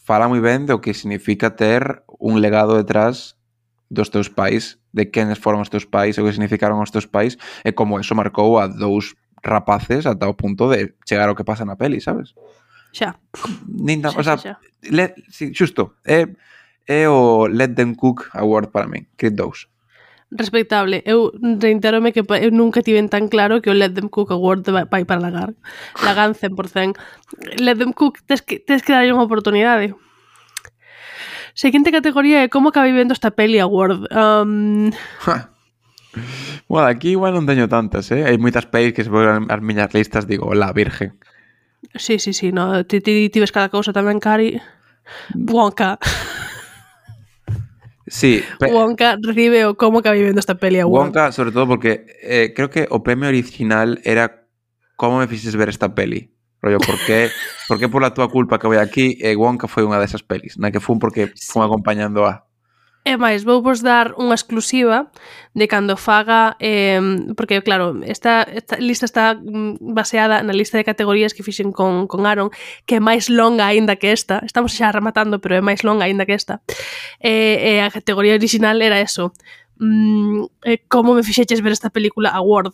fala moi ben do que significa ter un legado detrás dos teus pais, de quenes foron os teus pais, o que significaron os teus pais, e como eso marcou a dous rapaces ata o punto de chegar ao que pasa na peli, sabes? Xa. O sea, xusto, é o Let Them Cook Award para min, Creed 2. Respectable. Eu reiterome que eu nunca tiven tan claro que o Let Them Cook Award vai para Lagan. Lagan 100%. Let Them Cook, tes que darlle unha oportunidade. Seguinte categoría é como acabei vendo esta peli Award. Bueno, aquí igual non teño tantas, Hai moitas pelis que se ponen as miñas listas, digo, la virgen. Sí, no, ti ves cada cousa tamén, Cari. Wonka. Sí. Wonka recibe o como acabei vendo esta peli Award. Wonka, sobre todo porque creo que o premio original era como me fixes ver esta peli. Rollo, por que por la túa culpa que voy aquí Wonka foi unha desas pelis, na que fun porque fun acompañando a... E máis, vou vos dar unha exclusiva de cando faga, porque claro, esta lista está baseada na lista de categorías que fixen con Aaron, que é máis longa aínda que esta. Estamos xa rematando, pero é máis longa aínda que esta. A categoría original era eso. Como me fixeches ver esta película Award.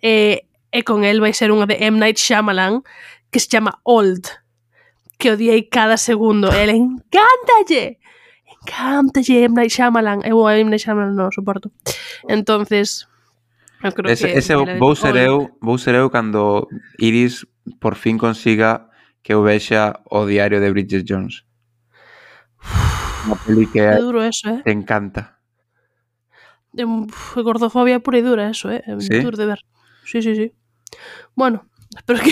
E con el vai ser unha de M. Night Shyamalan, que se chama Old, que odiei cada segundo. Ele encántalle M. Night Shyamalan. Eu a M. Night Shyamalan non o soporto. Entonces, eu creo ese vou ser eu cando Iris por fin consiga que eu vexa o diario de Bridget Jones. Unha peli que é duro eso, te encanta. É gordofobia pura e dura eso, é duro de ver. Sí. Bueno, espero que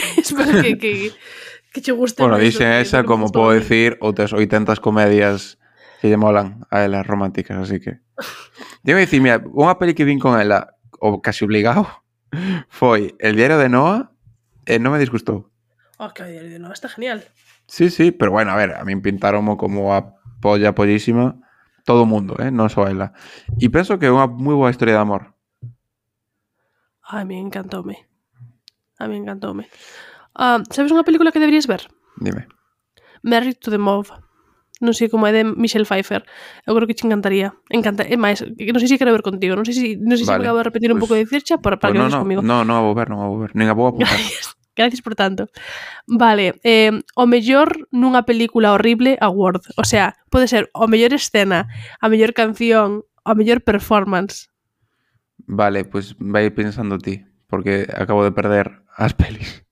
che guste. Bueno, dixen esa como podo decir outras 800 comedias que lle molan a elas románticas, así que... Digo dicir, mira, unha peli que vin con ela, o casi obligado, foi El diario de Noah e non me disgustou. Que o diario de Noah está genial. Sí, pero bueno, a ver, a min pintaronmo como a pollísima todo o mundo, non só ela. E penso que é unha moi boa historia de amor. A mí encantoume. Sabes unha película que deberías ver? Dime. Married to the Mob. Non sei como é de Michelle Pfeiffer. Eu creo que te encantaría. É máis, non sei se quero ver contigo. Non sei se vale. Me acabo de repetir un pouco de circha para que veas comigo. Non a vou ver. Nen a vou apuntar. Gracias por tanto. Vale, o mellor nunha película horrible Award. O sea, pode ser o mellor escena, a mellor canción, a mellor performance. Vale, pues vai pensando ti, porque acabo de perder as pelis.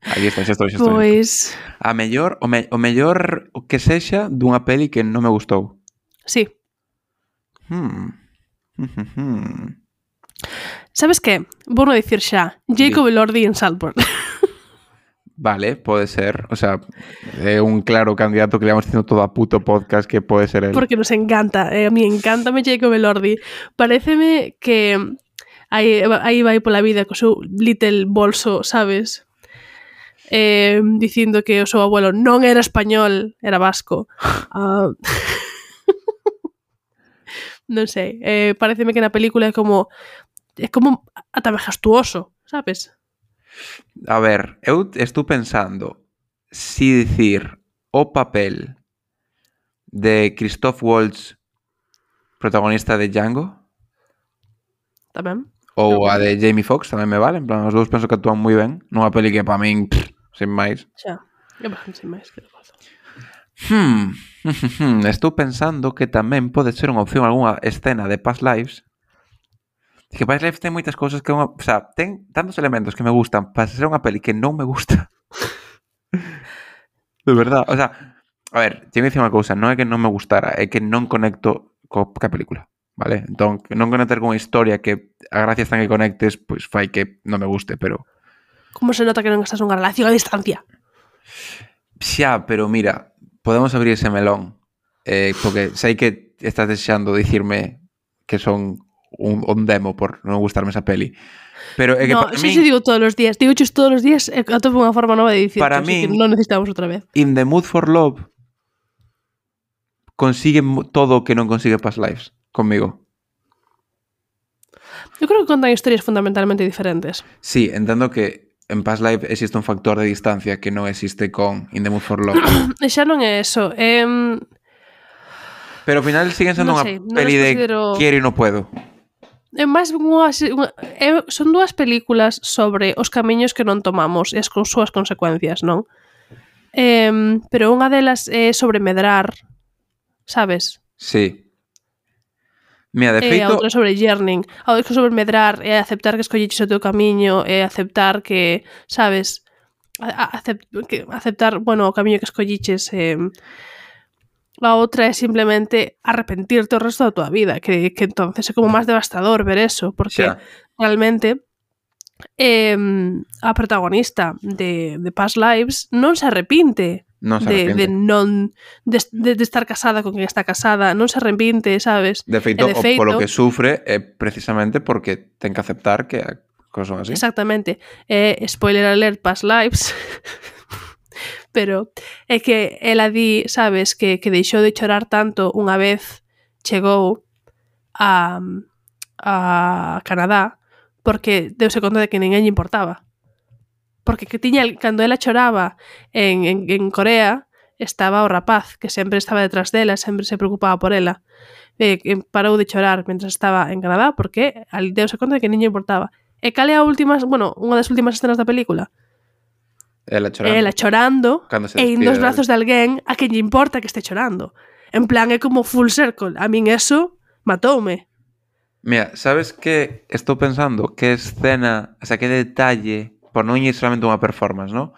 Aí está, xa estou. Pois... A mellor, o mellor que sexa dunha peli que non me gustou. Sí. Sabes que? Vou non dicir xa. Jacob Elordi en Saltburn. Vale, pode ser. O sea, é un claro candidato que le vamos dicindo todo a puto podcast que pode ser él. Porque nos encanta. A mí encántame Jacob Elordi. Paréceme que aí vai pola vida co seu little bolso, sabes? Dicindo que o seu abuelo non era español, era vasco. Non sei. Paréceme que na película é como ata majestuoso, sabes? A ver, eu estou pensando si dicir o papel de Christoph Waltz, protagonista de Django, tamén, ou a de Jamie Foxx, tamén me vale. En plan, os dous penso que actúan moi ben nunha peli que para min sin máis. Xa, sin máis, que pasa. Estou pensando que tamén pode ser unha opción algunha escena de Past Lives, Que Past Lives ten moitas cousas que o sea, ten tantos elementos que me gustan para ser unha peli que non me gusta. De verdad, o sea, a ver, teño que dicir unha cousa, non é que non me gustara, é que non conecto ca película, vale? Entón, non conectar con unha historia que a gracia está en que conectes, pois fai que non me guste, pero... Como se nota que non estás nunha relación a distancia? Xa, pero mira, podemos abrir ese melón, porque sei que estás desexando dicirme que son un demo por non gustarme esa peli. Pero é que No, para sí, min, se digo todos os días. Digo todos os días atopo unha forma nova de dicir para que min, non necesitamos outra vez. In the Mood for Love consigue todo o que non consigue Past Lives conmigo. Eu creo que contan historias fundamentalmente diferentes. Sí, entendo que en Past Lives existe un factor de distancia que non existe con In the Mood for Love. E xa non é eso. Pero ao final siguen sendo Non unha sei, non peli as de considero- quiero e non puedo. É máis son dúas películas sobre os camiños que non tomamos e as súas consecuencias, non? Pero unha delas é sobre medrar, sabes? Sí. Mira, de E a feito, outra sobre yearning. A outra sobre medrar é aceptar que escolliches o teu camiño, é aceptar que, sabes, aceptar, bueno, o camiño que escolliches. A outra é simplemente arrepentirte o resto da tua vida, que entonces é como máis devastador ver eso, porque xa, realmente a protagonista de Past Lives non se arrepinte non se de arrepente. de estar casada con quen está casada, non se arrepinte, sabes? De feito, E de feito, polo que sufre é precisamente porque ten que aceptar que a cosas son así. exactamente. Spoiler alert, Past Lives. Pero é que ela di, sabes, que deixou de chorar tanto unha vez chegou a Canadá porque deuse conta de que ninguén lle importaba. Porque que tiña, cando ela choraba en Corea, estaba o rapaz que sempre estaba detrás dela, sempre se preocupaba por ela. Parou de chorar mentras estaba en Canadá porque deuse conta de que ninguén lle importaba. E cal é a última, bueno, unha das últimas escenas da película? Ela chorando e indo aos brazos de alguén a quen lle importa que este chorando. En plan, é como full circle. A min eso matoume. Mira, sabes que estou pensando que escena, o sea, que detalle, por non ir solamente unha performance, ¿no?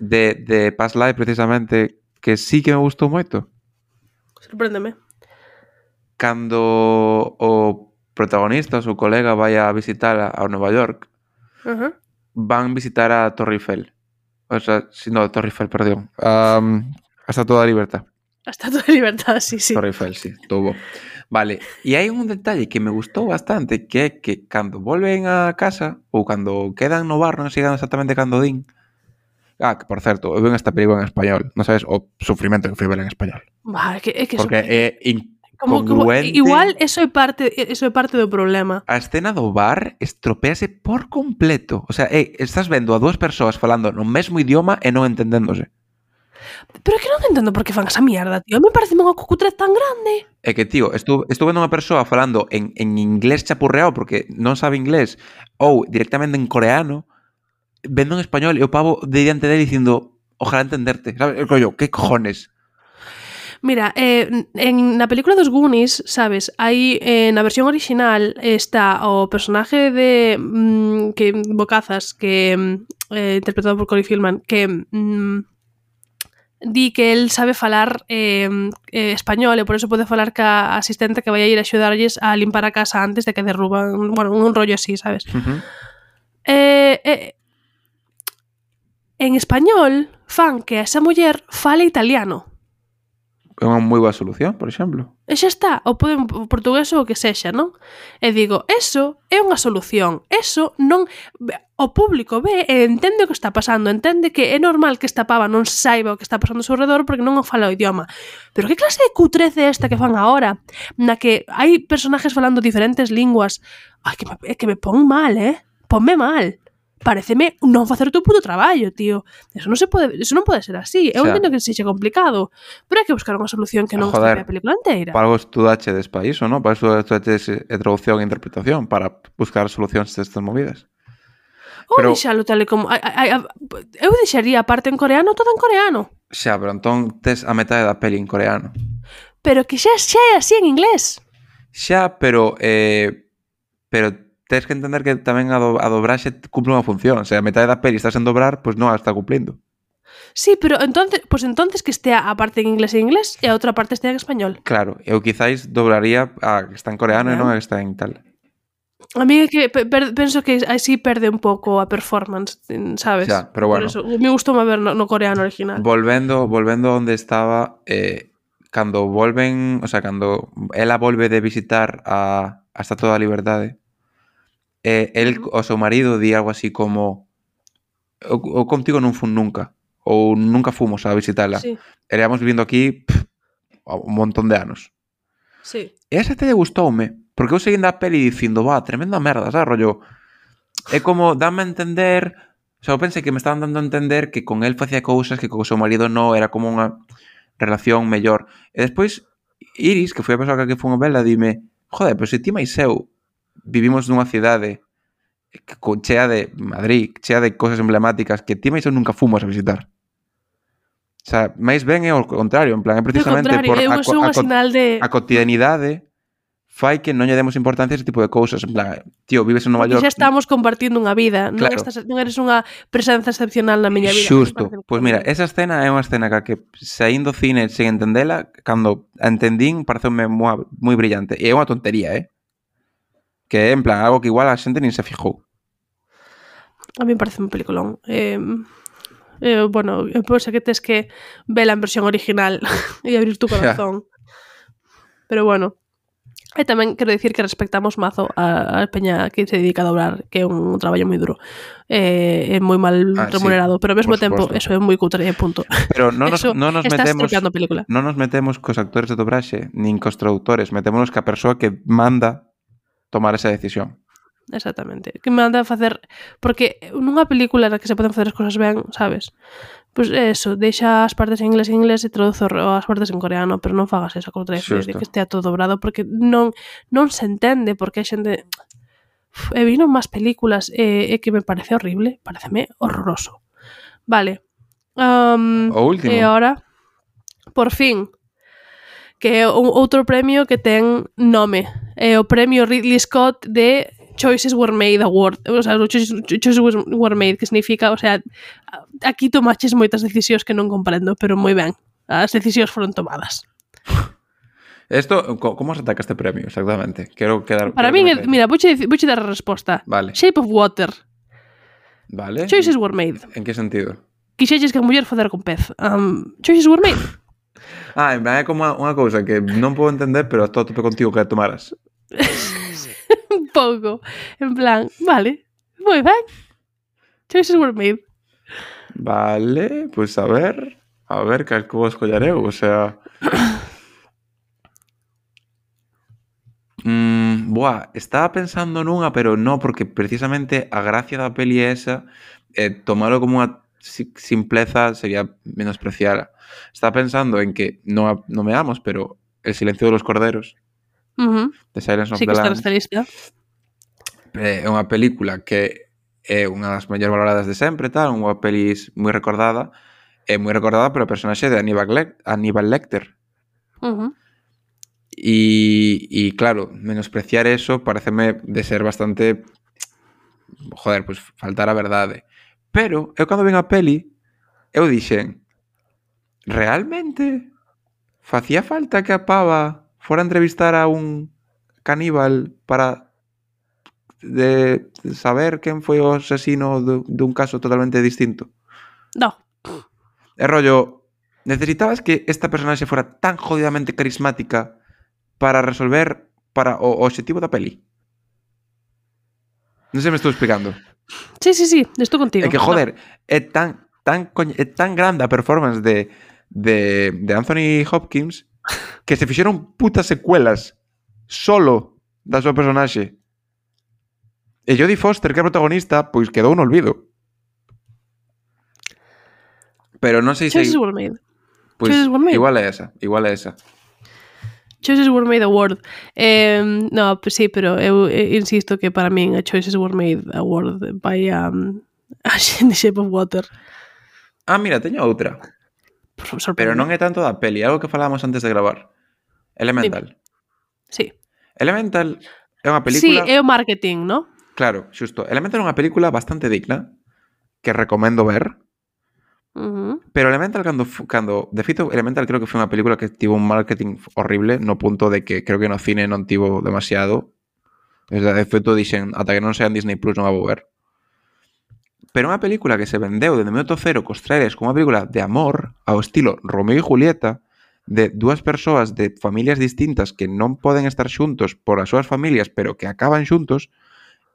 De Past Life, precisamente, que sí que me gustou moito. Sorpréndeme. Cando o protagonista, o seu colega, vai a visitar a Nova York, van visitar a Torre Eiffel. O sea, no, Torre Eiffel, perdón. A Estatua da Libertad. A Estatua da Libertad, sí. Torre Eiffel, sí, tuvo. Vale, e hai un detalle que me gustou bastante, que é que cando volven a casa, ou cando quedan no bar, non sei exactamente cando din. Que por certo, eu ven esta película en español, non sabes o sufrimento que fui ver en español. É que porque é incongruente. Igual eso é parte do problema. A escena do bar estropease por completo. O sea, estás vendo a dúas persoas falando no mesmo idioma e non entendéndose. Pero é que non entendo por que fan esa mierda, tío. Me parece unha cucutrez tan grande. É que, tío, estuve vendo unha persoa falando en inglés chapurreado porque non sabe inglés ou directamente en coreano, vendo en español e o pavo de diante dele dicindo ojalá entenderte. ¿Sabes? El collo, ¿qué cojones? Mira, na película dos Goonies, sabes, hai na versión original está o personaje de que Bocazas, que interpretado por Corey Feldman, que di que el sabe falar español e por eso pode falar ca asistente que vai a ir a axudarlles a limpar a casa antes de que derruban, bueno, un rollo así, sabes? En español fan que esa muller fale italiano. É unha moi boa solución, por exemplo. E xa está, ou poden portugués ou o que sexa, non? E digo, eso é unha solución. Eso non... O público ve e entende o que está pasando, entende que é normal que esta pava non saiba o que está pasando ao seu redor porque non o fala o idioma. Pero que clase de cutrece é esta que fan agora? Na que hai personajes falando diferentes linguas. Ai, que me pon mal, Ponme mal. Pareceme non facer o teu puto traballo, tío. Eso non pode ser así. Eu entendo que sexa complicado, pero hai que buscar unha solución que non estrope a película inteira. Para algo estudaches pa iso, non? Para eso estudaches traducción e interpretación, para buscar solucións destas movidas. Ou deixalo tal e como... Eu deixaría a parte en coreano, todo en coreano. Xa, pero entón tes a metade da peli en coreano. Pero que xa é así en inglés. Xa, pero tens que entender que tamén a dobraxe cumple unha función. Se a metade da peli estás en dobrar, pois non a está cumplindo. Sí, pero entonces que estea a parte en inglés e a outra parte estea en español. Claro, eu quizáis dobraría a que está en coreano e non a que está en tal. A mí é que penso que así perde un pouco a performance, sabes? Xa, pero bueno. Por eso, me gustou ver no coreano original. Volvendo onde estaba, cando volven, o sea, cando ela volve de visitar a Estatua da Liberdade, el, o seu marido, di algo así como o contigo non fun nunca, ou nunca fomos a visitala. Sí. Eríamos vivindo aquí un montón de anos. Sí. E esa te gustoume, porque eu seguindo a peli dicindo, tremenda merda, sabes, rollo. É como, dame a entender, o sea, eu pensei que me estaban dando a entender que con él facía cousas que co seu marido non, era como unha relación mellor. E despois, Iris, que foi a persoa que foi a vela, dime, joder, pero se ti máis eu vivimos nunha cidade chea de Madrid, chea de cosas emblemáticas que ti máis eu nunca fomos a visitar. O sea, máis ben é o contrario, en plan, é precisamente por a cotidianidade fai que non lle demos importancia a ese tipo de cousas. En plan, tío, vives en Nova York. Xa estamos compartindo unha vida, claro. Non eres unha presenza excepcional na miña vida. Xusto. Pois mira, esa escena é unha escena que saindo cine sen entendela, cando a entendín, pareceume moi brillante. E é unha tontería, que é, en plan, algo que igual a xente nin se fijou. A mí me parece un peliculón. Bueno, penso que tes que vela en versión original e abrir tu corazón. Pero bueno, e tamén quero dicir que respectamos mazo a peña que se dedica a dobrar, que é un traballo moi duro. É moi mal remunerado, sí, pero ao mesmo tempo eso é moi cutre, punto. Pero non nos metemos cos actores de dobraxe, nin cos traductores, metémonos ca persoa que manda tomar esa decisión. Exactamente, que me anda a facer, porque nunha película na que se poden facer as cosas ben, sabes? Pois eso, deixa as partes en inglés e traduzo as partes en coreano, pero non fagas esa coutra de que estea todo dobrado, porque non se entende, porque a xente vino máis películas e que me parece horrible, pareceme horroroso. Vale. O último. E agora, por fin, que é outro premio que ten nome, é o premio Ridley Scott de Choices Were Made Award, o sea, Choices Were Made, que significa, o sea, aquí tomaches moitas decisións que non comprendo, pero moi ben, as decisións foron tomadas. Esto, como se ataca este premio, exactamente? Para mí, mira, vouche dar a resposta. Vale. Shape of Water. Vale. Choices Were Made. En que sentido? Quixelles que a muller foder con pez. Choices Were Made. En plan, é como unha cousa que non podo entender, pero estou a tope contigo que a tomaras. Un pouco. En plan, vale, moi ben. Choices Were Made. Vale, pois a ver cal que vou escollar eu, o sea... estaba pensando nunha, pero non, porque precisamente a gracia da peli é esa, tomalo como unha simpleza sería menospreciar. Estaba pensando en que non nomeamos, pero El silencio de los corderos, de Silence of the Lambs, é unha película que é unha das mellores valoradas de sempre, tal, unha peli moi recordada, polo personaxe de Hannibal Lecter. E claro, menospreciar eso pareceme de ser bastante, pues faltar a verdade. Pero eu cando vin a peli, eu dixen, realmente facía falta que a pava fora a entrevistar a un caníbal para de saber quen foi o asesino dun caso totalmente distinto? No. É rollo, necesitabas que esta personaxe fora tan jodidamente carismática para resolver para o objetivo da peli? Non sei me estou explicando. Sí, estou contigo. É que, joder, é tan grande a performance de Anthony Hopkins que se fixeron putas secuelas solo da súa personaxe. E Jodie Foster, que é a protagonista, pois quedou no olvido. Pero non sei se... Choices Were Made. Pois igual é esa. Choices Were Made Award. No, pues sí, pero eu insisto que para min a Choices Were Made Award vai a The Shape of Water. Mira, teño outra. Pero non é tanto da peli, algo que falábamos antes de gravar. Elemental. Sí. Elemental é unha película... Sí, é o marketing, ¿no? Claro, xusto. Elemental é unha película bastante digna que recomendo ver. Pero Elemental cando de feito Elemental creo que foi unha película que tivo un marketing horrible no punto de que creo que no cine non tivo demasiado. De feito dixen ata que non sea en Disney Plus non a vou ver. Pero unha película que se vendeu dende minuto cero cos trailers como unha película de amor ao estilo Romeo e Julieta, de dúas persoas de familias distintas que non poden estar xuntos por as súas familias pero que acaban xuntos,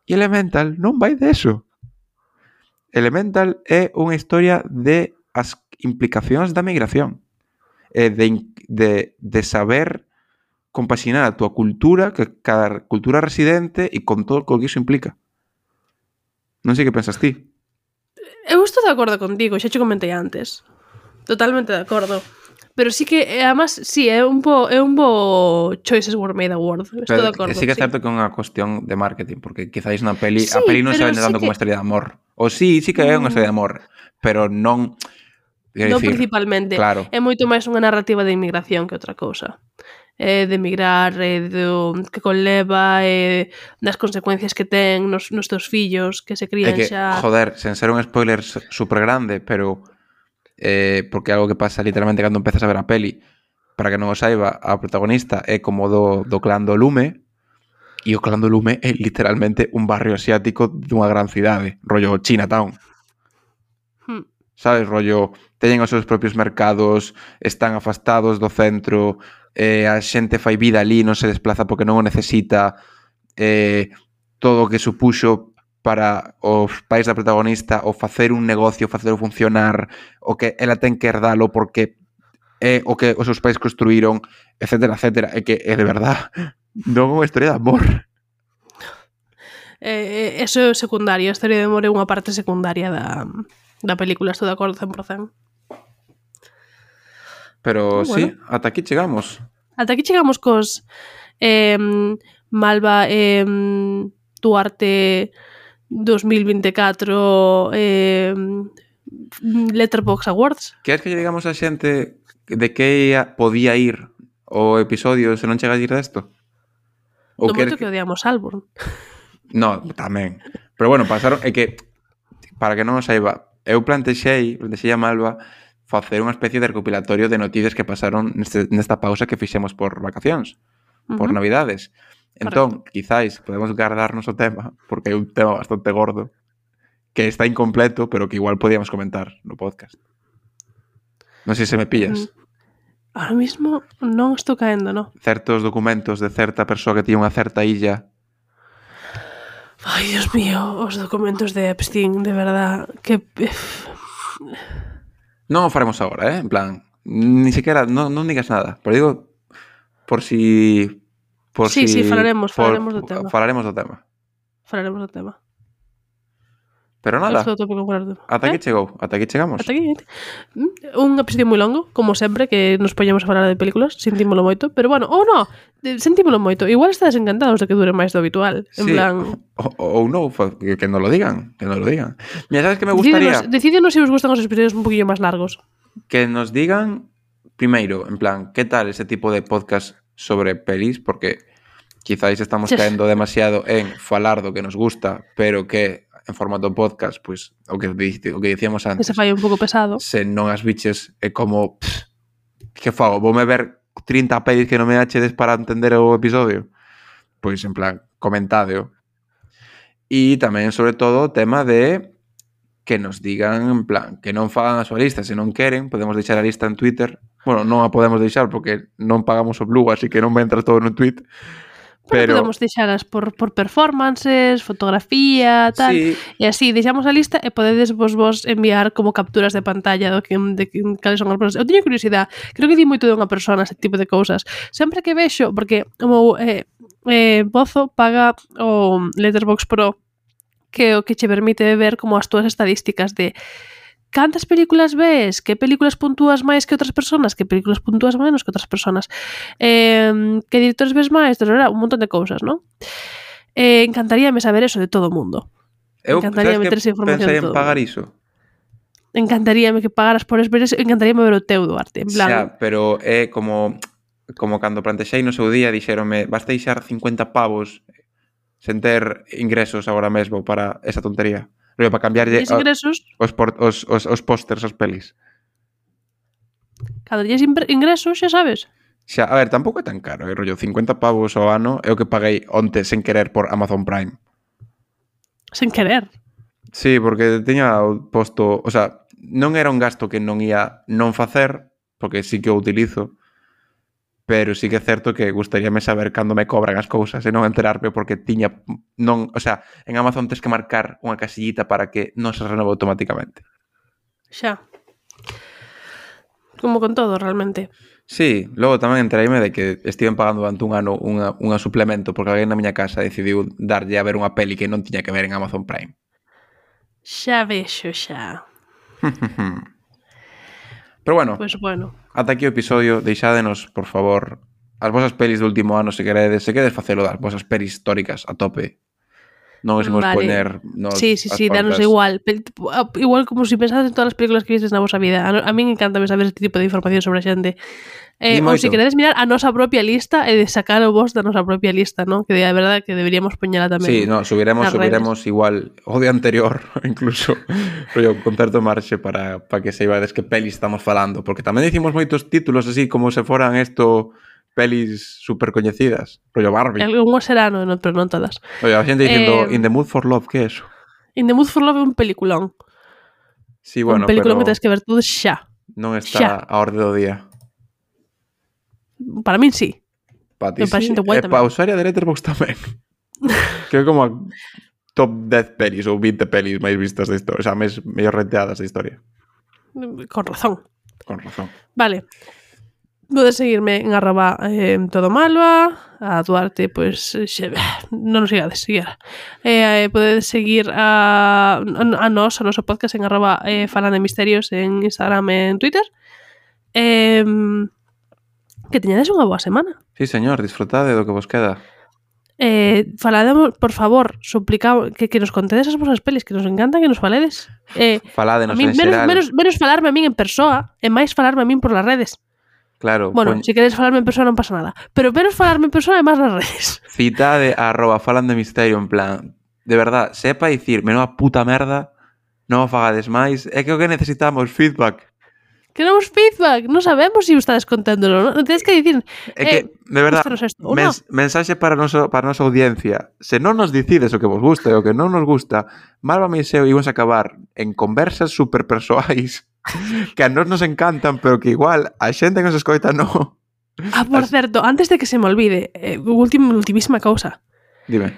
e Elemental non vai deso. Elemental é unha historia de as implicacións da migración, de saber compaxinar a túa cultura, que cada cultura residente e con todo o que iso implica. Non sei que pensas ti. Eu estou de acordo contigo, xa che comentei antes. Totalmente de acordo. Pero sí que, además, sí, é un bo Choices Were Made Award. Estou de acordo. Sí que é certo que é unha cuestión de marketing, porque quizáis na peli, sí, a peli non se vende sí tanto como unha historia de amor. O sí que é unha historia de amor, pero non... Non principalmente. Claro. É moito máis unha narrativa de inmigración que outra cousa. De emigrar, do que conleva, das consecuencias que ten nos teus fillos, que se crían que, xa... Joder, sen ser un spoiler super grande, pero... porque é algo que pasa literalmente cando empezas a ver a peli. Para que non o saiba, a protagonista é como do clan do Lume, e o clan do Lume é literalmente un barrio asiático dunha gran cidade, rollo Chinatown. Sabes, rollo, teñen os seus propios mercados, están afastados do centro, a xente fai vida ali, non se desplaza porque non o necesita, todo o que supuxo para os pais da protagonista o facer un negocio, facelo funcionar, o que ela ten que herdalo porque é o que os seus pais construíron, etcétera, etcétera. É que é de verdad non é unha historia de amor. Eso é secundario, a historia de amor é unha parte secundaria da película, estou de acordo 100%. Pero bueno. Sí, ata aquí chegamos. Ata aquí chegamos cos Malva Duarte 2024 Letterboxd Awards. Queres que lle digamos a xente de que podía ir o episodio se non chega a ir desto? Do moito que odiamos Alborn. No, tamén. Pero bueno, pasaron... É que, para que non o saiba, eu plantexei a Malva facer unha especie de recopilatorio de noticias que pasaron nesta pausa que fixemos por vacacións, por Navidades. Entón, quizáis podemos guardarnos o tema, porque é un tema bastante gordo, que está incompleto, pero que igual podíamos comentar no podcast. Non sei se me pillas. Ahora mismo non estou caendo, no? Certos documentos de certa persoa que tiña unha certa illa. Ai, Dios mío, os documentos de Epstein, de verdad, que... Non o faremos agora, en plan, ni sequera, non digas nada, pero digo, por si... Sí, falaremos do tema. Falaremos do tema. Pero nada, ata aquí chegou, ata aquí chegamos. Ata aquí. Un episodio moi longo, como sempre, que nos poñemos a falar de películas, sentímolo moito, pero bueno, ou non, sentímolo moito. Igual estades encantados de que dure máis do habitual, en plan... Ou non, que nos lo digan, Mira, sabes que me gustaría... Decídenos se os gustan os episodios un poquillo máis largos. Que nos digan, primeiro, en plan, que tal ese tipo de podcast sobre pelis, porque quizáis estamos caendo demasiado en falar do que nos gusta, pero que en formato podcast, pois, o que dicíamos antes. Que se fai un pouco pesado. Se non as biches é como... que fago? Voume ver 30 pelis que non me achedes para entender o episodio? Pois, en plan, comentádeo. E tamén, sobre todo, o tema de que nos digan, en plan, que non fagan a súa lista. Se non queren, podemos deixar a lista en Twitter. Bueno, non a podemos deixar porque non pagamos o Blue, así que non vai entrar todo no tweet. Pero podemos deixalas por performances, fotografía, tal, sí. E así deixamos a lista e podedes vos enviar como capturas de pantalla de cales son as persoas. Eu teño curiosidade, creo que di moito de unha persona ese tipo de cousas. Sempre que vexo, porque o meu Bozo paga o Letterboxd Pro, que o que che permite ver como as túas estadísticas de cantas películas ves, que películas puntúas máis que outras personas, que películas puntúas menos que outras personas, que directores ves máis, un montón de cousas, non? Encantaríame saber eso de todo o mundo. Encantaríame ter esa información de todo. Pensei en pagar iso. Encantaríame que pagaras por ver eso, encantaríame ver o teu, Duarte, en plan... Xa, pero é como cando plantexei no seu día, dixéronme, vas deixar 50 pavos sen ter ingresos agora mesmo para esa tontería. Rollo, para cambiarlle Tienes ingresos, os pósters aos pelis. cando tienes ingresos, xa sabes. Xa, a ver, tampouco é tan caro, rollo, 50 pavos ao ano é o que paguei onte sen querer por Amazon Prime. Sen querer. Sí, porque tiña posto, o sea, non era un gasto que non ia non facer, porque sí que o utilizo, pero sí que é certo que gustaríame saber cando me cobran as cousas e non enterarme porque tiña non, o sea, en Amazon tes que marcar unha casillita para que non se renove automáticamente. Xa. Como con todo, realmente. Sí, logo tamén entereime de que estiven pagando durante un ano unha suplemento porque alguén na miña casa decidiu darlle a ver unha peli que non tiña que ver en Amazon Prime. Xa vexo, xa. Pero bueno, Pois bueno. ata aquí o episodio, deixádenos, por favor, as vosas pelis do último ano se queredes facelo das vosas pelis históricas a tope. Non os imos poñer nos Sí, danos igual. Igual como si pensades en todas as películas que vistes na vosa vida. A min encantame saber este tipo de información sobre a xente. Ou se queredes mirar a nosa propia lista e de sacar o vos da nosa propia lista, ¿no? Que a verdade que deberíamos poñela tamén. Sí, no, subiremos igual o día anterior, incluso rollo, con certo marxe para que saibades que pelis estamos falando, porque tamén dicimos moitos títulos así como se foran pelis super coñecidas, rollo Barbie. Algúns serán, pero non todas. Oye, a xente dicindo In the Mood for Love, que é eso? In the Mood for Love é un peliculón. Sí, bueno, un peliculón pero que tens que ver todo xa. Non está a orde do día. Para min sí. Para ti sí, e para usuaria de Letterboxd tamén. Que é como a top 10 pelis ou 20 pelis máis vistas da historia, o sea, mellor renteadas da historia. Con razón. Con razón. Vale. Podes seguirme en @todomalva, a Duarte, pois non nos sigades, siquiera. Podedes seguir a noso podcast en @falandemisterios en Instagram e en Twitter. Que teñades unha boa semana. Sí, señor, disfrutade do que vos queda. Falademos, por favor, suplicamos que nos contedes as vosas pelis, que nos encantan que nos faledes. Faládenos en xeral. Menos falarme a min en persoa e máis falarme a min por las redes. Claro. Bueno, se queres falarme en persoa non pasa nada. Pero menos falarme en persoa e máis nas redes. Citade @falandemisterio en plan, de verdad, sepa dicir, menuda puta merda, non o fagades máis, é que o que necesitamos, feedback. Queremos feedback, non sabemos se estades contándolo, non? Tens que dicir, é que, de verdad, mensaxe para a nosa audiencia. Se non nos dicides o que vos gusta e o que non nos gusta, Malvame e Seo íbamos a acabar en conversas super persoais que a nos encantan, pero que igual a xente que nos escoita non. Por certo, antes de que se me olvide, ultimísima cousa. Dime.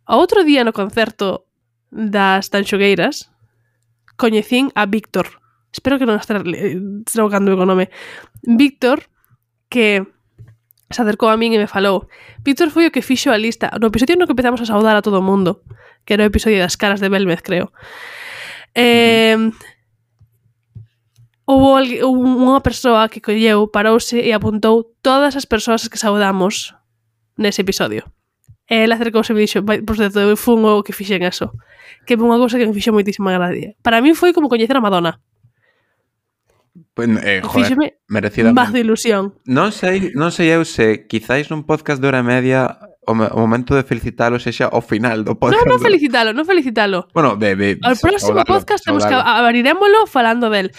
O outro día no concerto das Tanxogueiras coñecín a Víctor. Espero que non estar trocando o nome. Víctor, que se acercou a min e me falou. Víctor foi o que fixo a lista. No episodio no que empezamos a saudar a todo o mundo, que era o episodio das caras de Belmez, creo. Houve unha persoa que colleu, parouse e apuntou todas as persoas que saudamos nese episodio. E ela acercouse e me dixo, por certo, eu fui o que fixen eso. Que é unha cousa que me fixo moitísima gracia. Para mí foi como coñecer a Madonna. Joder, merecidamente. Más de ilusión. Non sei eu se quizáis nun podcast de hora e media o momento de felicitalo sexa ao final do podcast. Non felicitalo. Bueno, ao próximo podcast temos que abriremoslo falando del.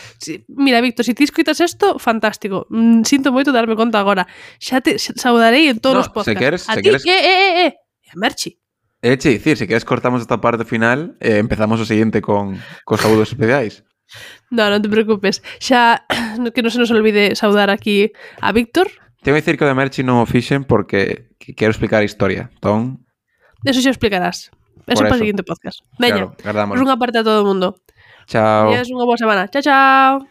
Mira, Víctor, se ti escoitas isto, fantástico. Sinto moito darme conta agora. Xa te saudarei en todos os podcasts. Se queres... E a Merchi. Dicir, se queres cortamos esta parte final e empezamos o seguinte con saúdos especiais. Non te preocupes. Xa que non se nos olvide saudar aquí a Víctor. Tengo que dicir que o de Merchi non o fixen porque quero explicar a historia. Entón... Eso xa explicarás. Eso para o seguinte podcast. Veña, claro, unha parte a todo o mundo. Chao. E é unha boa semana. Chao, chao.